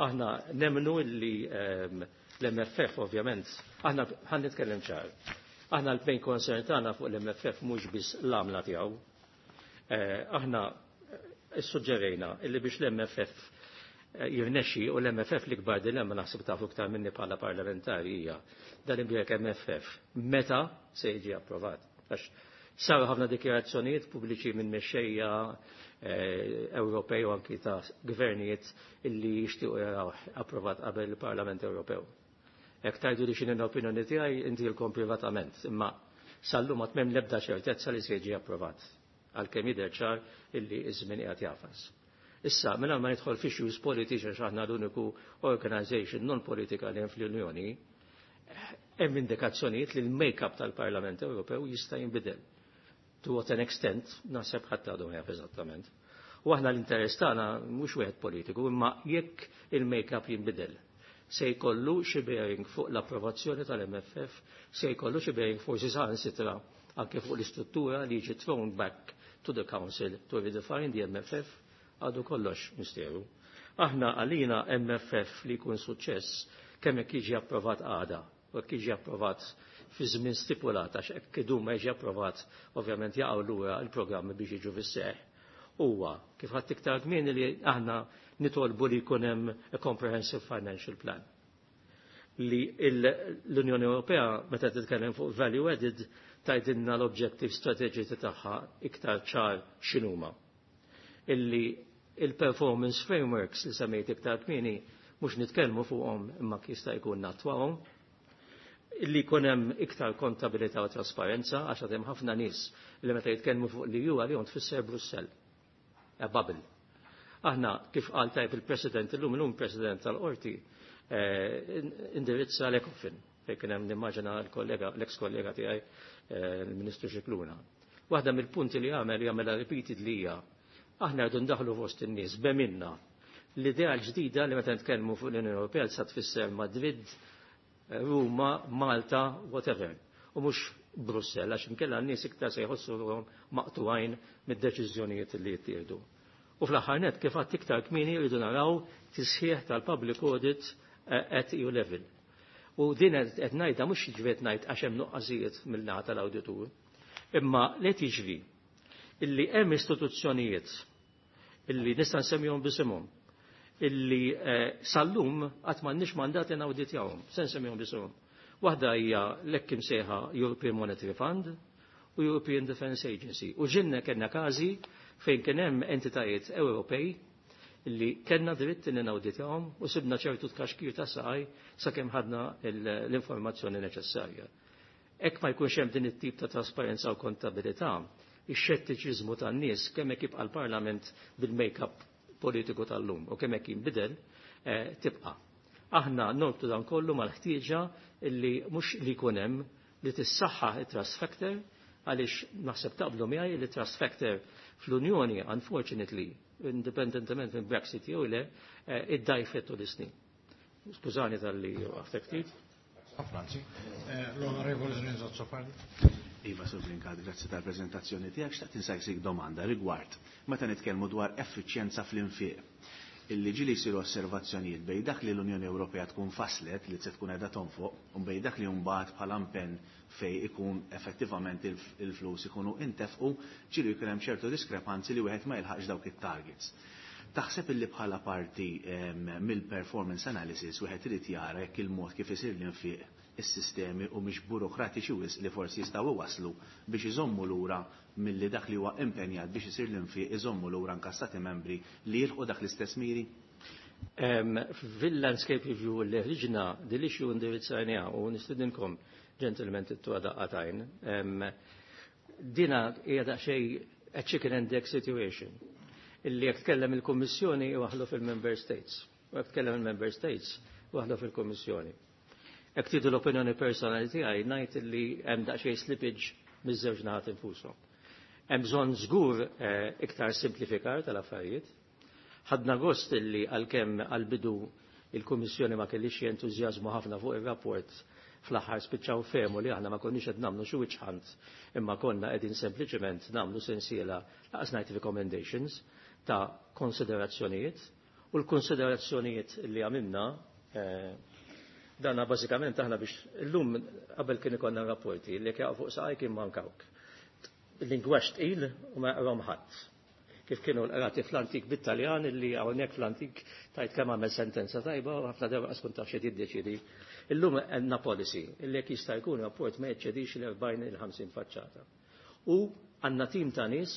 Aħna nemmnu illi l-M F F ovvjament, aħna ħan nitkellem ċar. Aħna l-main concern tagħna fuq l-M F F mhux biss l-għamla tiegħu. Aħna issuġġerejna illi biex l-M F F jirnexxi, u l-M F F l-ikbar dilemma naħseb tafu iktar minni bħala parlamentari hija dan imbrek M F F meta se jiġi approvat. Għax saru ħafna dikjarazzjonijiet pubbliċi minn mexxejja Ewropej u anki ta' gvernijiet illi jixtiequ jaraw approvat qabel il-Parlament Ewropew. Jekk tajdu li x'inhi l-opinjoni tiegħi intilkom privatament, imma sal-lum għad m'hemm l-ebda ċertezza li se jiġi approvat għalkemm jidher ċar illi ż-żmien qiegħed jafas. Issa, mingħajr ma nidħol fi issues politiċi għax aħna l-uniku organization non-politika li hemm fl-Unjoni, Hemm indikazzjonijiet li l-make-up tal-Parlament Ewropew jista' jinbidel. To what an extent, naħseb ħadd għadu jaf eżattament. U aħna l-interess tagħna mhux wieħed politiku, imma jekk il-make-up jinbidel, se jkollu xi bearing fuq l-approvazzjoni tal-M F F, se jkollu xi bearing forsi saħansitra anke fuq l-istruttura li jiġi thrown back to the Council to redefine the M F F, għadu kollox misteru. Aħna għalina M F F li jkun suċċess, kemm jekk jiġi approvat għada u jekk jiġi approvat fi żmien stipulat, għax hekk idum ma jiġi approvat, ovvjament jaqgħu lura l-programmi biex jiġu fis-seħħ. Huwa kif ħadd iktar kmieni li aħna nitolbu li jkun hemm a comprehensive financial plan. Li l-Unjoni Ewropea, meta titkellem fuq value added, tgħidilna l-objective strategiċi tagħha iktar ċar x'inhuma. Illi il-performance frameworks li semmejt iktar kmieni mhux nitkellmu fuqhom imma jista' jkun nattwahom, illi jkun hemm iktar kontabilità u trasparenza, għax hemm ħafna nies li meta jitkellmu fuq li ju għalihom tfisser Brussell. A bubble. Aħna, kif qal tajb il-President illum, illum President tal-Qorti eh, indirizza l-Ecofin fejn kien hemm, nimmaġina, l-kollega, l-ex kollega tiegħi, eh, il-Ministru Scicluna. Waħda mill-punti li għamel, jagħmilha repeatedly, hija aħna rridu ndaħlu fost in-nies b'eminna l-idea l-ġdida li meta nitkellmu fuq l-Unjoni Ewropea sa tfisser Madrid, Ruma, Malta, whatever. U mhux Brussell, għax inkella n-nies iktar se jħossuhom maqtugħin mid-deċiżjonijiet li jittieħdu. U fl-aħħar net, kif għadt iktar kmieni, rridu naraw tisħiħ tal-public audit eh, at E U level. U din qed ngħidha mhux ġifiet ngħid għax hemm nuqqasijiet mill-naħa tal-awditur, imma li tiġri illi hemm istituzzjonijiet illi nista' nsemmihom b'isimhom illi eh, sal-lum qatt m'għandniex mandat li nawditjawhom, se nsemmihom b'isimhom. Waħda hija l-hekk imsejħa European Monetary Fund u European Defence Agency. U ġinna kellna każi fejn kien hemm entitajiet Ewropej illi kellna dritt li nawditjawhom u sibna ċertu tkaxkir ta' saqaj sakemm ħadna l-informazzjoni neċessarja. Hekk ma jkunx hemm din it-tip ta' trasparenza u kontabilità, ix-xettiċiżmu tan-nies, kemm hekk jibqa' l-Parlament bil-make-up politiku tal-lum u kemm hekk jinbidel, eh, tibqa'. Aħna norbtu dan kollu mal-ħtieġa illi mhux li jkun hemm li tissaħħaħ it-trust factor, għaliex naħseb taqblu miegħi li trust factor fl-Unjoni, unfortunately, indipendentement minn Brexit jew le, eh, iddajfet tul is-snin. Skużani talli waqftek ftit. Franzi. Eh, L-Onorevole Renzo Azzopardi. Iva, Sur Brincat, grazzi tal-prezentazzjoni tiegħek. Xtaqt insaqsik domanda rigward meta nitkellmu dwar effiċjenza fl-infiq. Illi ġieli jsiru osservazzjonijiet bejn dak li l-Unjoni Ewropea tkun faslet li se tkun qiegħda tonfoq u bejn dak li mbagħad bħala impenn fej ikun effettivament il-flus ikunu intefqu, ġieli jkun hemm ċertu diskrepanzi li wieħed ma jilħaqx dawk it-targets. Taħseb illi bħala parti mill-performance analysis wieħed irid jara jekk il-mod kif isir l-infiq, is-sistemi u mhix burokratiċi wisq li forsi jistgħu waslu biex iżommu lura milli dak li huwa impenjat biex isir l-infiq, iżommu lura anke stati membri li jilħqu dak l-istess miri? Fil-landscape review li ħriġna din l-issue indirizzajniha u nistidinkom, gentlemen, tittu daqqa t'għajn. Dina hija daqsxejn a chicken and egg situation. Illi jekk tkellem il-Kummissjoni waħlu fil-Member States. U jekk tkellem il-Member States waħlu fil-Kummissjoni. Jekk tridu l-opinjoni personali tiegħi, ngħid li hemm daqsxejn slippage miż-żewġ naħat infushom. Hemm bżonn żgur eh, iktar simplifikar tal-affarijiet. Ħadna gost illi għalkemm għal-bidu il-Kummissjoni ma kellix entużjażmu ħafna fuq ir-rapport, fl-aħħar spiċċaw fehmu li aħna ma konniex qed nagħmlu xi witch hunt, imma konna qegħdin sempliċement nagħmlu sensiela, laqas ngħid recommendations, ta' konsiderazzjonijiet, u l-konsiderazzjonijiet li għamilna eh, dana bażikament aħna biex illum, qabel kien ikollna rapporti li jekk fuq saqaj kien mankawk. Lingwaġġ tqil u ma jaqrom ħadd. Kif kienu l-qrati fl-antik bit-Taljan, illi hawnhekk fl-antik tajt kemm għamel sentenza tajba u ħafna darba qas taf xi jiddeċidi. Illum għandna policy illi jekk jista' jkun rapport ma jeċċedix l-erbgħin il-ħamsin faċċata. U għandna tim ta' nies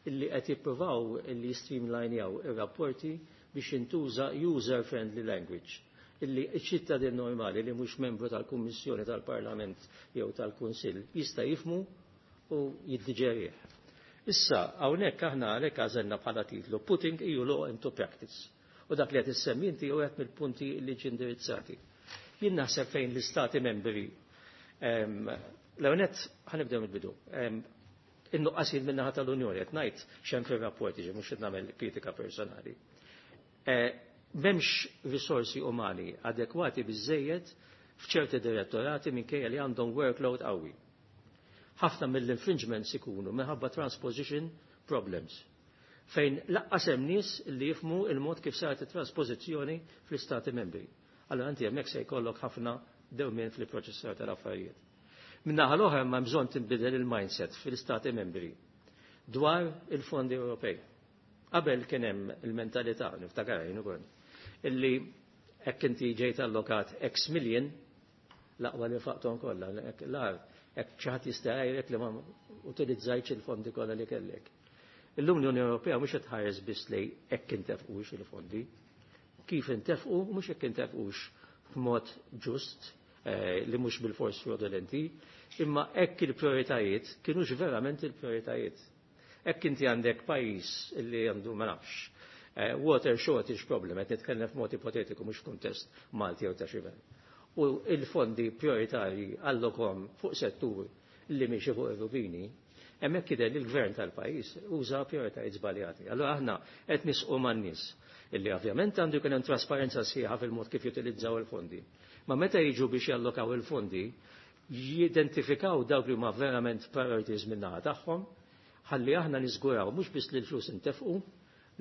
illi qed jippruvaw illi streamlinejaw ir-rapporti biex jintuża user-friendly language illi ċ-ċittadin normali li mhux membru tal-Kummissjoni, tal-Parlament jew tal-Kunsill jista' jifmu u jiddiġerih. Issa, hawnhekk aħna għalhekk għażelna bħala titlu "Putting E U Law into Practice". U dak li qed issemmi inti u mill-punti li ġi indirizzati. Jien naħseb fejn l-istati membri L-ewwel nett ħa nibdew mill-bidu. In-nuqqasijiet min-naħa tal-Unjoni qed ngħid x'hemm fir-rapport, jiġi mhux qed nagħmel kritika personali. M'hemmx risorsi umani adekwati biżejjed f'ċerti direttorati minkejja li għandhom workload qawwi. Ħafna mill-infringements ikunu minħabba transposition problems, fejn lanqas hemm nies li jifhmu il-mod kif saret it-transpożizzjoni fl-istati membri. Allora inti hemmhekk se jkollok ħafna dewmien fil-proċessar tal-affarijiet. Min-naħa l-oħra ma bżonn tinbidel il-mindset fil-istati membri dwar il-fondi Ewropej. Qabel kien hemm il-mentalità, niftakar jien ukoll, illi hekk inti ġejt allokat X million, l-aqwa li nfaqthom kollha, l-ar hekk xi ħadd jista' jgħidlek li ma utilizzajtx il-fondi kollha li kellek. Illum l-Unjoni Ewropea mhux qed tħares biss li hekk intefqux il-fondi, kif intefqu, mhux hekk intefqux b'mod ġust, li mhux bil-fors fraudulenti, imma hekk il-prioritajiet kienux verament il-prioritajiet. Hekk inti għandek pajjiż li għandu, ma nafx, water shortage problem, qed nitkellem f'mod ipotetiku, mhux f'kuntest Malti jew ta' xi. U il-fondi prioritarji allokom fuq settur li miexi fuq ir-rubini, hemmhekk jidher li l-gvern tal-pajjiż uża prioritajiet żbaljati. Allura aħna qed nisqu man-nies illi ovvjament għandu jkun hemm trasparenza sħiħa fil-mod kif jutilizzaw il-fondi. Ma meta jiġu biex jallokaw il-fondi, jidentifikaw dawk li huma verament priorities min-naħa tagħhom, ħalli aħna niżguraw mhux biss li l-flus intefqu,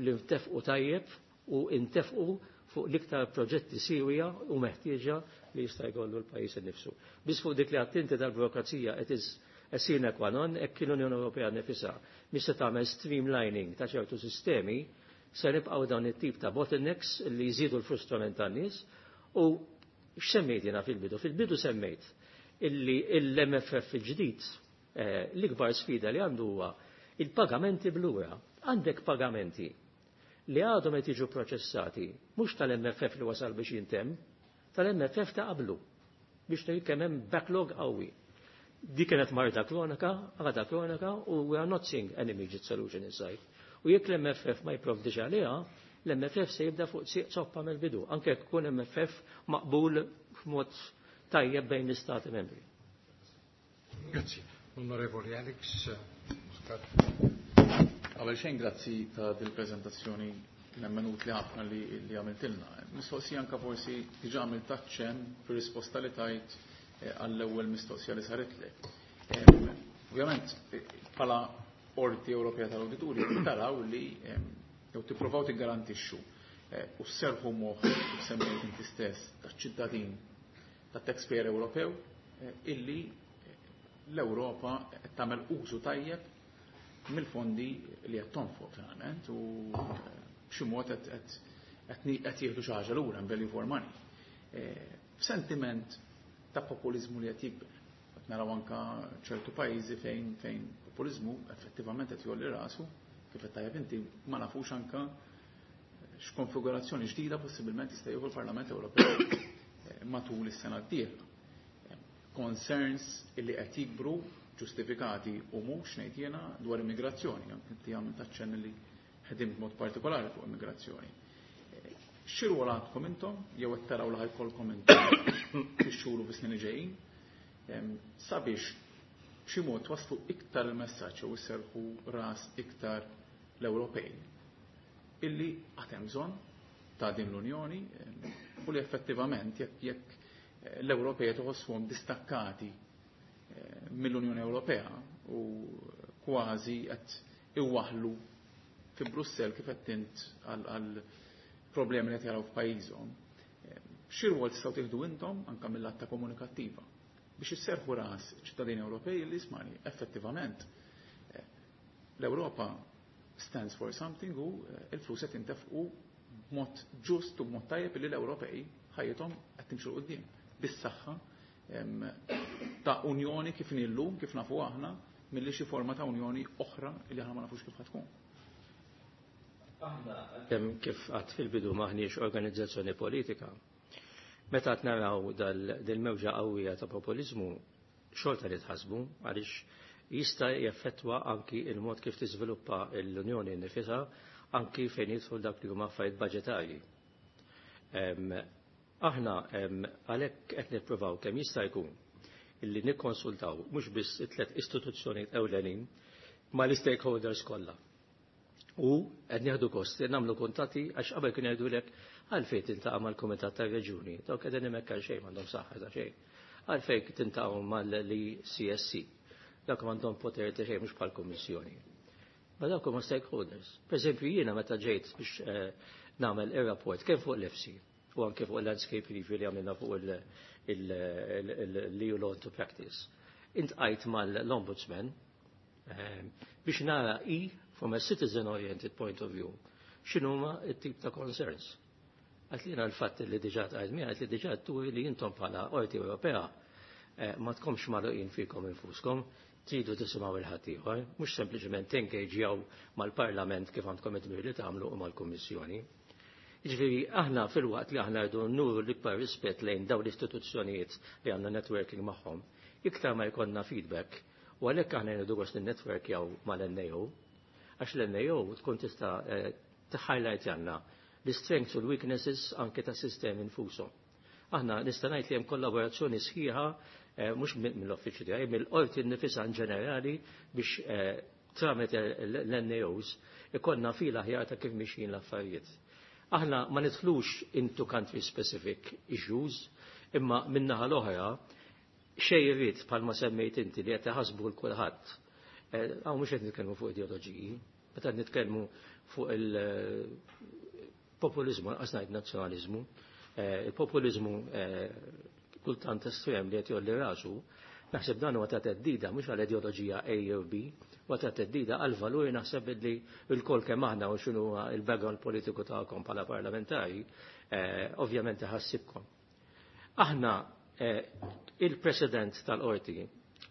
li ntefqu tajjeb u intefqu fuq l-iktar proġetti siwja u meħtieġa li jista' jkollu l-pajjiż innifsu. Biss fuq dik li għedt inti tal-burokrazija, it is a sine qua non. Hekk l-Unjoni Ewropea nifisha mhix se tagħmel streamlining ta' ċertu sistemi, se nibqgħu dawn it-tip ta' bottlenecks li jżidu l-frustrament tan-nies. U x'semmejt jiena fil-bidu? Fil-bidu semmejt illi l-M F F il-ġdid l-ikbar sfida li għandu huwa il-pagamenti b'lura. Għandek pagamenti li għadhom qed jiġu proċessati mhux tal-M F F li wasal biex jintemm, tal-M F F ta' qablu, biex tgħid kemm hemm backlog qawwi. Di kienet marda kronika, għada kronika, u we are not seeing any immediate solution in sight. U jekk l-M F F ma jipprovdix għaliha, l-M F F se jibda fuq sieq zoppa mill-bidu, anke jekk ikun M F F maqbul f'mod tajjeb bejn l-Istati membri. Grazzi. Onorevoli Alex Muscat. Qabel xejn, grazzi ta' dil-preżentazzjoni nemmen utli ħafna li, li għamiltilna. Mistoqsija, anka forsi diġà għamilt aċċenn fir-risposta li tajt eh, għall-ewwel mistoqsija li saritlek. Ovvjament, eh, bħala Qorti Ewropea tal-Awdituri taraw li jew tippruvaw tiggarantixxu eh, u sserħu moħħ, kif semmejt inti stess, taċ-ċittadin, tat-taxpayer Ewropew, illi l-Ewropa qed tagħmel użu tajjeb mill-fondi li qed tonfoq finalment u b'xi mod qed jieħdu xi ħaġa lura, value for money. F'sentiment ta' populizmu li qed jikber. Qed naraw anka ċertu pajjiżi fejn fejn populizmu effettivament qed jgħolli rasu, kif qed tajjeb inti, ma nafux anka x'konfigurazzjoni ġdida possibilment jista' jieħu l-Parlament Ewropew matul is-sena d-dieħla. Concerns illi qed jikbru, ġustifikati u mhux, ngħid jiena, dwar immigrazzjoni, inti għamilt aċċenn li ħedimt mod partikolari fuq immigrazzjoni. Xi rwol għandkom intom jew qed taraw li ħa jkollkom intom fix-xhur u fis-snin li ġejjin sabiex b'xi mod waslu iktar il-messaġġ u isserħu ras iktar l-Ewropej illi għad hemm bżonn ta' din l-Unjoni u li effettivament jekk jekk l-Ewropej tħossuhom distakkati mill-Unjoni Ewropea u kważi qed iwaħlu fi Brussell, kif qed int, għal problemi li qed jaraw f'pajjiżhom. Xi rwol tistgħu tieħdu intom anke mill-lat ta' komunikattiva biex isserħu ras ċittadini Ewropej li, ismani, effettivament l-Ewropa stands for something u il-flus qed intefqu b'mod ġust u b'mod tajjeb, li l-Ewropej ħajjithom qed timxu 'l quddiem bis-saħħa ta' unjoni kif illum, kif nafu aħna, milli xi forma ta' unjoni oħra li aħna ma nafux kif tkun. Aħna, kif għedt fil-bidu, m'aħniex organizzazzjoni politika. Meta qed naraw dal-mewġa qawwija ta' populizmu, xorta li tħasbu għaliex jista' jaffettwa anki il-mod kif tiżviluppa l-Unjoni nifisha, anki fejn jidħol dak li huma affarijiet budġetarji. Aħna għalhekk qed nippruvaw kemm jista' jkun illi nikkonsultaw mhux biss it-tliet istituzzjonijiet ewlenin ma l-stakeholders kollha. U qed nieħdu gost li nagħmlu kuntatti għax qabel kien jgħidulek għalfejn tiltaqa' mal-Kumitat tar-Reġjuni, dawk qegħdin hemmhekk għal xejn m'għandhom saħħa ta' xejn. Għalfejn tiltaqgħu mal-C S C, dawk m'għandhom poter ta' xejn, mhux bħall-Kummissjoni. Ma dawk huma stakeholders. Per eżempju, jiena meta ġejt biex eh, nagħmel ir-rapport kemm fuq l-E F S I u anke fuq il-landscape review li għamilna fuq l-E U Law into Practice, iltqajt mal-Ombudsman eh, biex nara i from a citizen-oriented point of view x'inhuma t-tip ta' concerns. Għedtli l-fatt li diġà għedt mi għedtli diġà turi li intom bħala Qorti Ewropea eh, ma tkomx magħluqin fikom infuskom, tridu tisimgħu 'l ħaddieħor, mhux sempliċement tengaġjaw mal-Parlament kif għandkom id-dmir li tagħmlu u mal-Kummissjoni. Jiġifieri aħna fil-waqt li aħna rridu nuru l-ikbar rispett lejn dawn l-istituzzjonijiet li għandna networking magħhom, iktar ma jkollna feedback, u għalhekk aħna rridu gost network jew mal-N A O, għax l-N A O tkun tista' eh, t-highlight għandna l-strengths u l-weaknesses anke ta' sistemi nfushom. Aħna nista' ngħid li hemm kollaborazzjoni sħiħa eh, mhux mill-uffiċċju tiegħi, mill-qorti nnifisha in ġenerali biex eh, tramite l-N A Os ikollna fil aħjar ta' kif mixjin l-affarijiet. Aħna ma nidħlux into country specific issues, imma min-naħa l-oħra xejriet bħalma semmejt inti li qed iħasbu l kulħadd. Hawn mhux qed nitkellmu fuq ideoloġiji, meta nitkellmu fuq il-populizmu, lanqas ngħid nazzjonaliżmu, il-populizmu kultant estrem li qed jgħolli rasu, naħseb dan huwa ta' theddida mhux għal ideoloġija A jew B, huwa ta' theddida għal valuri naħseb li l-kol kemm aħna u x'inhu il-background politiku tagħkom bħala parlamentari, ovvjament iħassibkom. Aħna il-President tal-Qorti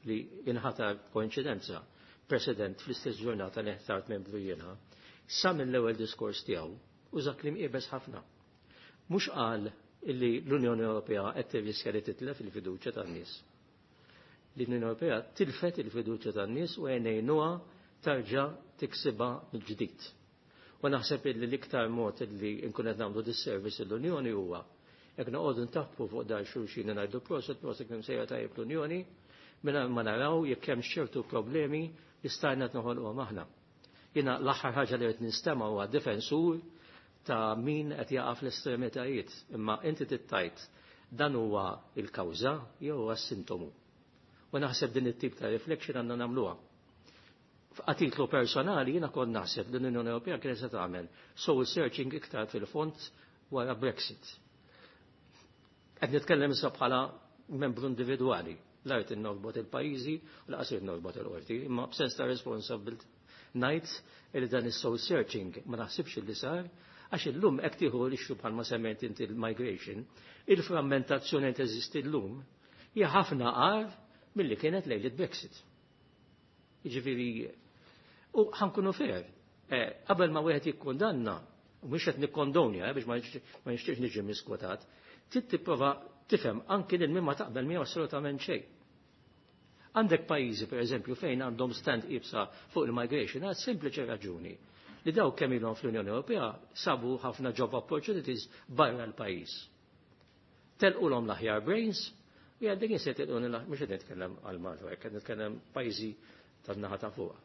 li inħatar koinċidenza, President fl-istess ġurnata li ħtart membru jiena, sa mill-ewwel diskors tiegħu uża kliem iebes ħafna. Mhux qal illi l-Unjoni Ewropea qed tirriskja li titlef il-fiduċja tan-nies. L-Unjoni Ewropea tilfet il-fiduċja tan-nies u ngħinuha tarġa' tiksibha mill-ġdid. U naħseb illi l-iktar mod illi nkun qed nagħmlu disservice l-Unjoni huwa jekk noqogħdu ntappu fuq dar xulxin ngħidu proset, proset kemm sejra tajjeb l-Unjoni, mingħajr ma naraw jekk hemm ċertu problemi li stajna noħolquhom aħna. Jiena l-aħħar ħaġa li qed nistema' huwa difensur ta' min qed jaqa' fl-estremitajiet, imma inti tittajt dan huwa il-kawża jew huwa s-sintomu. U naħseb din it-tip ta' reflection għandna nagħmluha. A titlu personali jiena kont naħseb li l-Unjoni Ewropea kienet se tagħmel soul searching iktar fil-fond wara Brexit. Qed nitkellem issa bħala membru individwali, la rrid norbot il-pajjiżi u lanqas irid norbot il-qorti, imma b'sens ta' responsabilità ngħid li dan is-soul searching ma naħsibx li sar għax illum hekk tieħu l-issue bħalma semmejt inti il-migration, il-frammentazzjoni teżisti llum hija ħafna agħar milli kienet lejlet Brexit. Jiġifieri, u ħa nkunu fair, qabel ma wieħed jikkundanna, u mhux qed nikkondonja biex ma nixtieqx niġi miskwotat, trid tipprova tifhem anki lil min ma taqbel miegħu assolutament xejn. Għandek pajjiżi, per eżempju, fejn għandhom stand iebsa fuq il-migration għal sempliċi raġuni li daw kemm ilhom fl-Unjoni Ewropea sabu ħafna job opportunities barra l-pajjiż. Telqulhom l-aħjar brains, u għandek se telqu, mhux qed nitkellem għal Malta, qed nitkellem pajjiżi tan-naħa ta' fuq.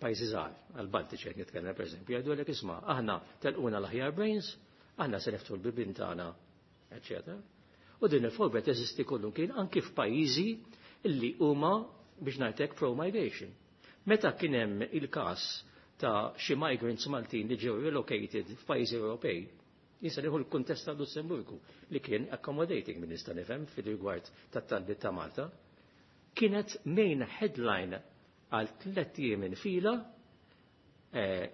Pajjiżi żgħar, għal-Baltiċi qed nitkellem, pereżempju, jgħidu isma', aħna telquna l-aħjar brains, aħna se neftħu l-bibien tagħna, eċċetera. U din il-fobja teżisti kollu kien anki f'pajjiżi illi huma, biex ngħidlek, pro-migration. Meta kien hemm il-każ ta' xi migrants Maltin li ġew relocated f'pajjiżi Ewropej, jista' nieħu l-kuntest ta' Lussemburgu li kien accommodating minn nista' nifhem fil-rigward tat-talbiet ta' Malta, kienet main headline għal tliet ijiem fila, eh,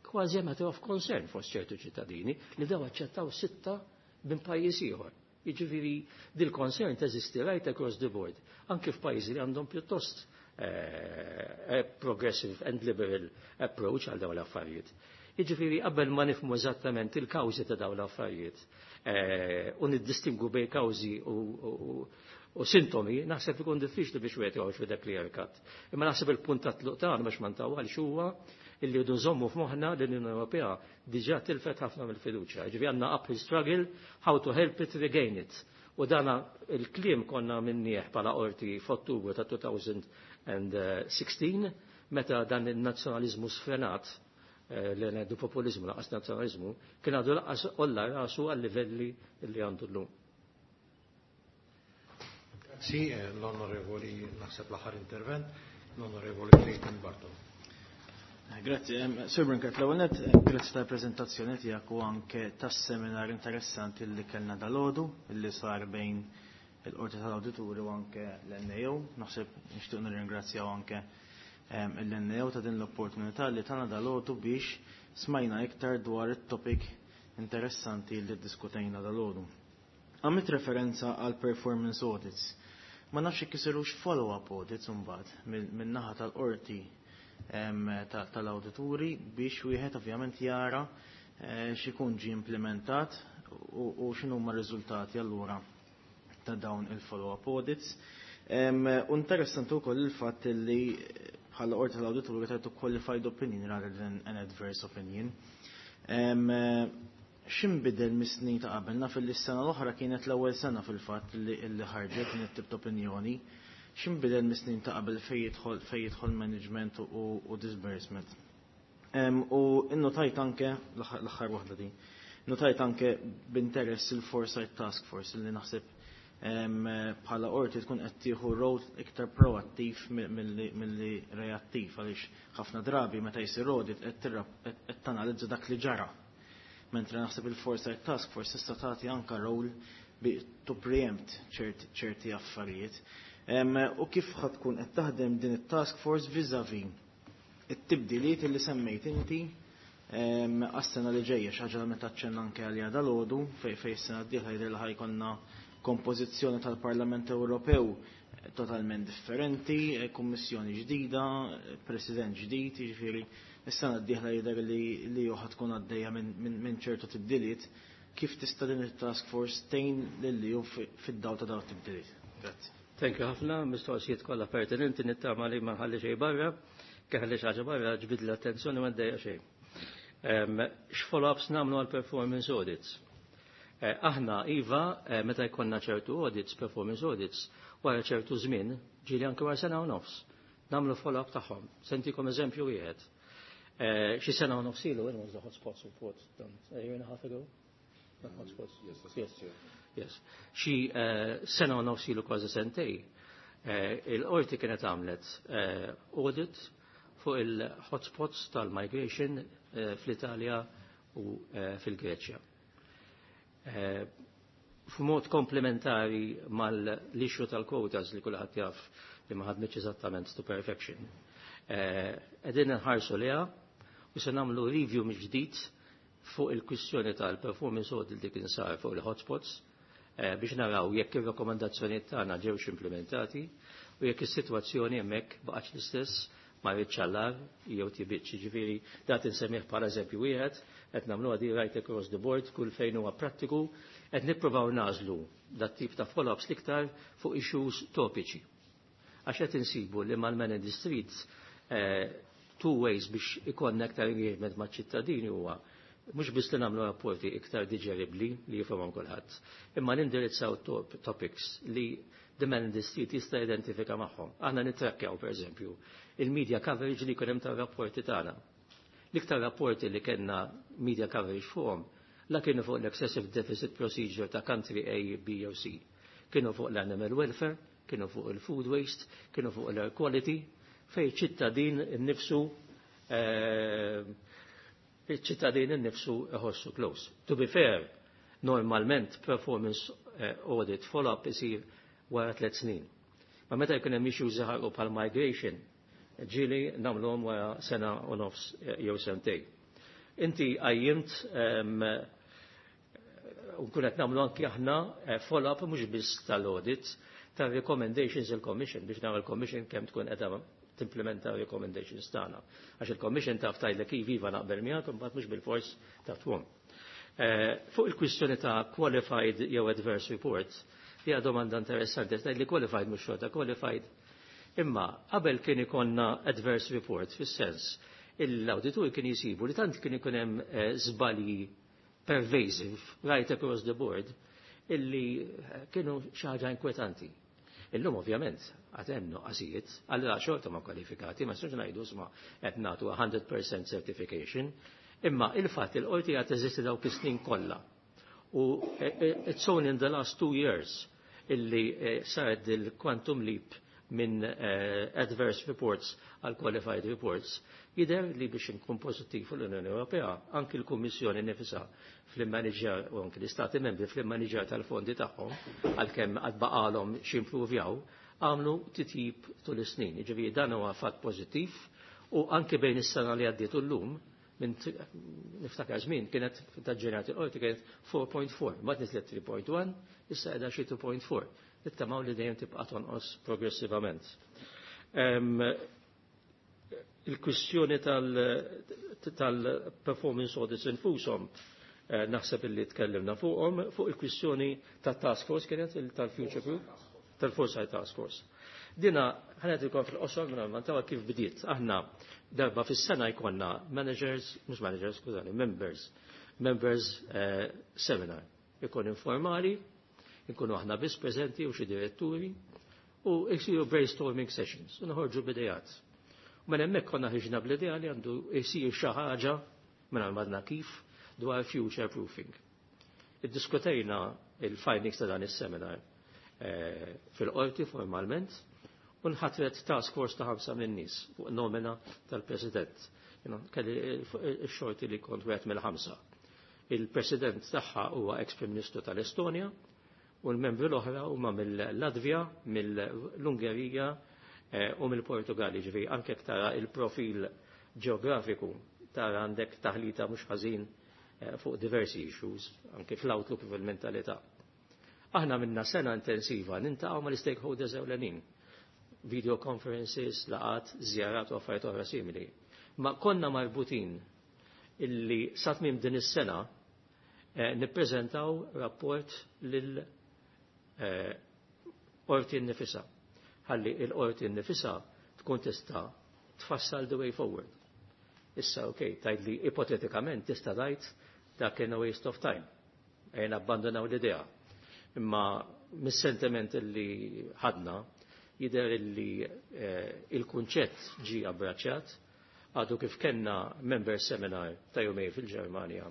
kważi matter of concern fost ċertu ċittadini li daw aċċettaw sitta minn pajjiż ieħor. Jiġifieri dil-concern teżisti right across the board, anke f'pajjiżi li għandhom pjuttost eh, progressive and liberal approach għal dawn l-affarijiet. Jiġifieri qabel ma nifhmu eżattament il-kawżi ta' dawn l-affarijiet eh, u niddistingu bejn kawżi u, u sintomi, naħseb ikun diffiċli biex wieħed joħroġ with a clear cut. Imma naħseb il-punt ta' tluq tagħna, biex ma ntawwalx, huwa illi rridu nżommu f'moħħna li l-Unjoni Ewropea diġà tilfet ħafna mill-fiduċja. Ġifieri għandna uphill struggle how to help it regain it. U dana il-kliem konna minnieħ bħala qorti f'Ottubru ta' elfejn u sittax meta dan il-nazzjonalizmu sfrenat, eh, li ngħidu populizmu lanqas nazzjonalizmu, kien għadu lanqas għolla rasu għal-livelli li għandu llum. Grazzi, eh, l-Onorevoli, naħseb l-aħħar intervent, l-Onorevoli Clayton Bartolo. Grazzi, Sir Brincat, l-ewwel nett, grazzi tal-preżentazzjoni tiegħek u anke tas-seminar interessanti li kellna dalgħodu li sar bejn il-Qorti tal-Awdituri u anke l-N A O. Naħseb nixtieq nirringrazzjaw anke l-N A O ta' din l-opportunità li tana dalgħodu biex smajna iktar dwar it-topic interessanti li diskutejna dalgħodu. Għamilt referenza għal performance audits. Ma nafx jekk isirux follow-up audits imbagħad min-naħa tal-qorti tal-awdituri biex wieħed ovvjament jara eh, x'ikun ġi implementat u x'inhuma r-riżultati allura ta' dawn il-follow-up audits. U interessanti wkoll il-fatt li bħala qorti tal-awdituri tajtu qualified opinion rather than an adverse opinion. X'inbidel mis-snin ta' qabel? Naf li s-sena l-oħra kienet l-ewwel sena fil-fatt li ħarġet din it-tip ta' opinjoni. X'inbidel mis-snin ta' qabel fejn jidħol fejn jidħol management u, u disbursement? U innotajt anke l-aħħar waħda din. Notajt anke b'interess il-Foresight Task Force li naħseb bħala qorti tkun qed tieħu rol iktar proattiv milli reattiv, għaliex ħafna drabi meta jsir audit qed tanalizza dak li ġara. Mentre naħseb il-Foresight Task Force tista' tagħti anka rol to preempt ċerti affarijiet. U kif ħa tkun qed taħdem din it-task force vis-a-vis it-tibdiliet li semmejt inti għas-sena li ġejja, xi ħaġa li meta aċċenna anke għalija dalgħodu, fejn fejn is-sena d-dieħla jidher li ħa jkollna kompożizzjoni tal-Parlament Ewropew totalment differenti, kummissjoni ġdida, president ġdid, jiġifieri is-sena d-dieħla jidher li li ħa tkun għaddejja minn ċertu tibdiliet. Kif tista' din it-task force tgħin lil ju fid-dawl ta' dawn it-tibdiliet? Grazzi. Thank you ħafna, mistoqsijiet kollha pertinenti, nittama li ma nħalli xejn barra, ħalli xi ħaġa barra ġbid l-attenzjoni, ma ddejja xejn. X'follow-ups nagħmlu għal performance audits? Eh, aħna, iva, eh, meta jkollna ċertu audits, performance audits, wara ċertu żmien, ġieli anke wara sena u nofs, nagħmlu follow-up tagħhom. Se ntikom eżempju wieħed. Eh, xi sena u nofs ilu, when was the hotspots report done? A year and a half ago? The hotspots? Yes. Yes. Yes. Xi sena u nofs ilu, kważi sentej, il-qorti kienet għamlet audit fuq il-hotspots tal-migration fl-Italja u fil-Greċja. F'mod komplementari mal-issue tal-quotas li kulħadd jaf li ma ħadmitx eżattament to perfection. Qegħdin nħarsu liha u se nagħmlu review mill-ġdid fuq il-kwistjoni tal-performance audit li kien sar fuq il-hotspots biex naraw jekk ir-rakkomandazzjonijiet tagħna ġewx implementati u jekk is-sitwazzjoni hemmhekk baqgħetx l-istess, ma għall-agħar jew tjiebitx. Ġifieri dat insemmih bħala eżempju wieħed, qed nagħmlu għadi right across the board kull fejn huwa prattiku, qed nippruvaw nagħżlu dat tip ta' follow-ups l-iktar fuq issues topiċi. Għax qed insibu li mal-man in the streets eh, two ways biex ikollna iktar engagement maċ-ċittadini huwa mhux biss li nagħmlu rapporti iktar diġeribbli li jifhimhom kulħadd, imma nindirizzaw topics li the man in the street jista' identifika magħhom. Aħna nittrakkjaw, pereżempju, il-media coverage li jkun hemm tar-rapporti tagħna. L-iktar rapporti li kellna media coverage fuqhom la kienu fuq l-excessive deficit procedure ta' country A, B jew C. Kienu fuq l-animal welfare, kienu fuq il-food waste, kienu fuq l-air quality, fej ċittadin innifsu eh, iċ-ċittadin innifsu iħossu close. To be fair, normalment performance eh, audit follow-up isir wara tliet snin. Ma meta jkun hemm issues jaħarqu bħal migration, ġieli nagħmluhom wara sena u nofs eh, jew sentejn. Inti qajjimt u nkun qed nagħmlu anki aħna eh, follow-up mhux biss tal-audit, tal-recommendations il-Commission biex nagħmel il-Commission kemm tkun qiegħda timplementa recommendations tagħna. Għax il-Commission taf tgħidlek iva, naqbel miegħek, imbagħad mhux bil-fors taf twom. Eh, fuq il-kwistjoni ta' qualified jew adverse reports, hija domanda interessanti, tgħid li qualified mhux xorta qualified. Imma qabel kien ikollna adverse report fis-sens l-awditur kien jisibu li tant kien ikun hemm eh, żbalji pervasive right across the board illi kienu xi ħaġa inkwetanti. Illum ovvjament għad hemm nuqqasijiet, allura xorta ma kwalifikati, ma nistax ngħidu isma' qed nagħtu one hundred percent certification, imma il-fatt il-qorti qed teżisti dawk is-snin kollha. U eh, eh, it's only in the last two years illi eh, saret il-quantum leap minn adverse reports għal qualified reports, jidher li biex inkun pożittiv l-Unjoni Ewropea, anki l-Kummissjoni nifisha fl-immaniġjar u anki l-Istati membri fl-immaniġjar tal-fondi tagħhom, għalkemm għad baqalhom x'improvjaw, għamlu titjib tul is-snin. Jiġifieri dan huwa fatt pożittiv u anki bejn is-sena li għaddiet u llum minn, niftakar żmien kienet ta' ġenerati l-qorti kienet four point four, mbagħad niżlet three point one, issa qiegħda xi two point four. Nittamaw li dejjem tibqa' tonqos progressivament. Il-kwistjoni tal-performance audits infushom eh, naħseb illi tkellimna fuqhom. Fuq il-kwistjoni tat-task force, kienet tal-Future Group, tal-Foresight Task Force. Dina ħa ngħidilkom fil-qosor minn tawa kif bdiet. Aħna darba fis-sena jkollna managers, mhux managers, skużani, members, members eh, seminar. Ikun informali, ikunu aħna biss preżenti u xi diretturi u jsiru brainstorming sessions u noħorġu b'ideat. U minn hemmhekk konna ħriġna bl-idea li għandu jsir xi ħaġa minn għandna kif dwar future proofing. Iddiskutejna il-findings ta' dan is-seminar eh, fil-qorti formalment u nħatret task force ta' ħamsa minn nies fuq nomina tal-President. Kelli x-xorti li kont wieħed mill-ħamsa. Il-President tagħha huwa ex-Prim Ministru tal-Estonja u l-membri l-oħra huma mill-Latvja, mill-Ungerija eh, u mill-Portugal. Ġifieri anke tara il-profil ġeografiku, tara għandek taħlita mhux ħażin eh, fuq diversi issues, anke fl-outlook, fil-mentalità. Aħna minna sena intensiva niltaqgħu mal-stakeholders ewlenin, video conferences, laqgħat, żjarat u affarijiet oħra simili. Ma konna marbutin illi sa tmiem din is-sena eh, nippreżentaw rapport lil eh, qorti nnifisha. Ħalli il-qorti nnifisha tkun tista' tfassal the way forward. Issa, ok, tgħid li ipotetikament tista' tgħid dak kien a waste of time. Ejja nabbandonaw l-idea. Imma mis-sentiment li ħadna jidher li eh, il-kunċett ġi abbraċċat. Għadu kif kellna member seminar ta' jumejn fil-Ġermanja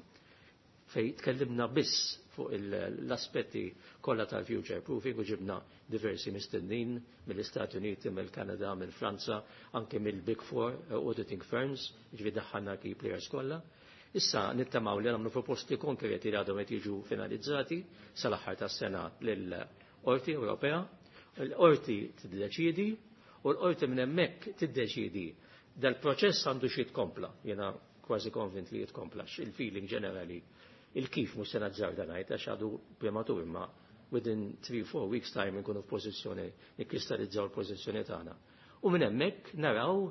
fej tkellimna biss fuq l-aspetti kollha tal-future proofing u ġibna diversi mistednin mill-Istati Uniti, mill-Kanada, mill-Franza, anke mill-Big Four eh, auditing firms, ġifieri daħħalna key players kollha. Issa nittamaw li nagħmlu proposti konkreti li għadhom qed jiġu finalizzati sal-aħħar tas-sena lill-Qorti Ewropea. Il-qorti tiddeċidi u l-qorti minn hemmhekk tiddeċidi dal-proċess għandu xi jitkompla. Jiena kważi konvint li jitkompla, il-feeling ġenerali, il-kif mhux se nażżarda ngħid għax għadu prematur, imma within three four weeks time nkunu f'pożizzjoni nikkristallizzaw l-pożizzjoni tagħna. U minn hemmhekk naraw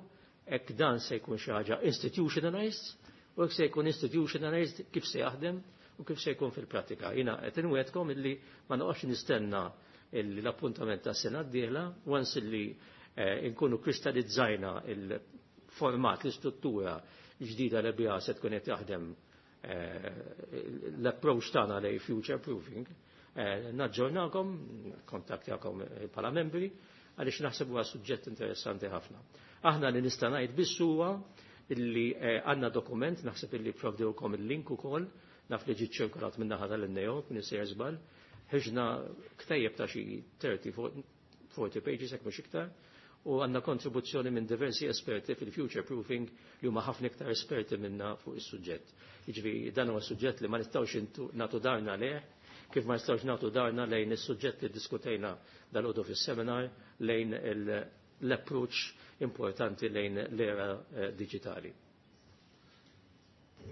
hekk dan se jkun xi ħaġa institutionalized u hekk se jkun institutionalized kif se jaħdem u kif se jkun fil-pratika. Jiena qed inwegħedkom illi ma noqgħodx nistenna l-appuntament ta' sena d-dieħla, once illi eh, nkunu kristallizzajna il-format, l-istruttura ġdida li biha se tkun qed jaħdem eh, l-approach tagħna lejn future proofing, eh, naġġornakom, kontattjakom bħala membri, għaliex naħseb huwa suġġett interessanti ħafna. Aħna li nista' ngħid biss huwa illi għandna dokument, naħseb illi provdewkom il-link ukoll, naf li ġiet ċirkolat minn naħa tal-N A O, minn sejjer żball, ħriġna ktejjeb ta' xi thirty forty pages, hekk mhux iktar, u għandna kontribuzzjoni minn diversi esperti fil-future proofing li huma ħafna iktar esperti minna fuq is-suġġett. Jiġifieri dan huwa suġġett li ma nistgħux nagħtu daharna lejh, kif ma nistgħux nagħtu daharna lejn is-suġġett li diskutejna dalgħodu fis-seminar lejn l-approach importanti lejn l-era eh, digitali.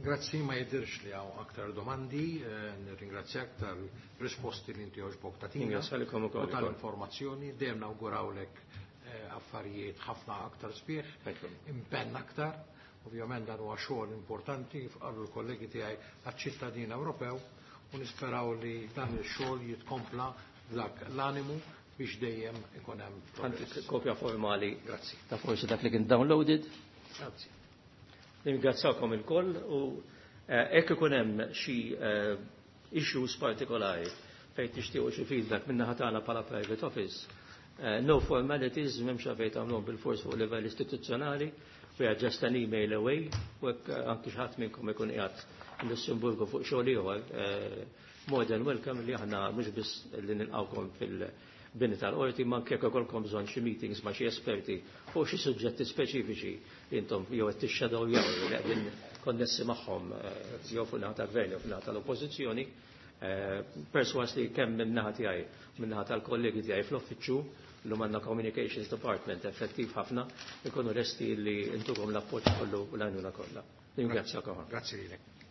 Grazzi, ma jidirx li hawn aktar domandi, eh, nirringrazzjak tal-risposti li inti għoġbok tagħtina. Ringrazzjalikom ukoll. U tal-informazzjoni, dejjem nawgurawlek eh, affarijiet ħafna aktar sbieħ, impenn aktar, ovvjament dan huwa xogħol importanti, kif qalu l-kollegi tiegħi, għaċ-ċittadin Ewropew u nisperaw li dan il-xogħol jitkompla dak l-animu biex dejjem ikun hemm progress. Kopja formali. Grazzi. Ta' forsi dak li kien downloaded. Grazzi. Ningrazzakom il-koll u eh, hekk ikun hemm xi eh, issues partikolari fejn tixtiequ xi feedback min-naħa tagħna bħala private office. Uh, no formalities, m'hemmx fejn tagħmluhom bil-fors fuq livell istituzzjonali, we are just an email away, u hekk anki xi ħadd minnkom ikun qiegħed Lussemburgu fuq xogħol ieħor, more than welcome li aħna mhux biss li nilqawkom fil-bini tal-qorti, ma anke jekk ikollkom bżonn xi meetings ma' xi esperti fuq xi suġġetti speċifiċi li intom jew qed tixxadow jew li qegħdin konnessi magħhom jew fuq naħa tal-gvern jew fuq naħa tal-oppożizzjoni, perswas li kemm min-naħa tiegħi, min-naħa tal-kollegi tiegħi fl-uffiċċju, l għandna Communications Department effettiv ħafna, ikunu lesti li ntukom l-appoġġ kollu u l-għajnuna kollha. Ningrazzjakom. Grazzi lilek.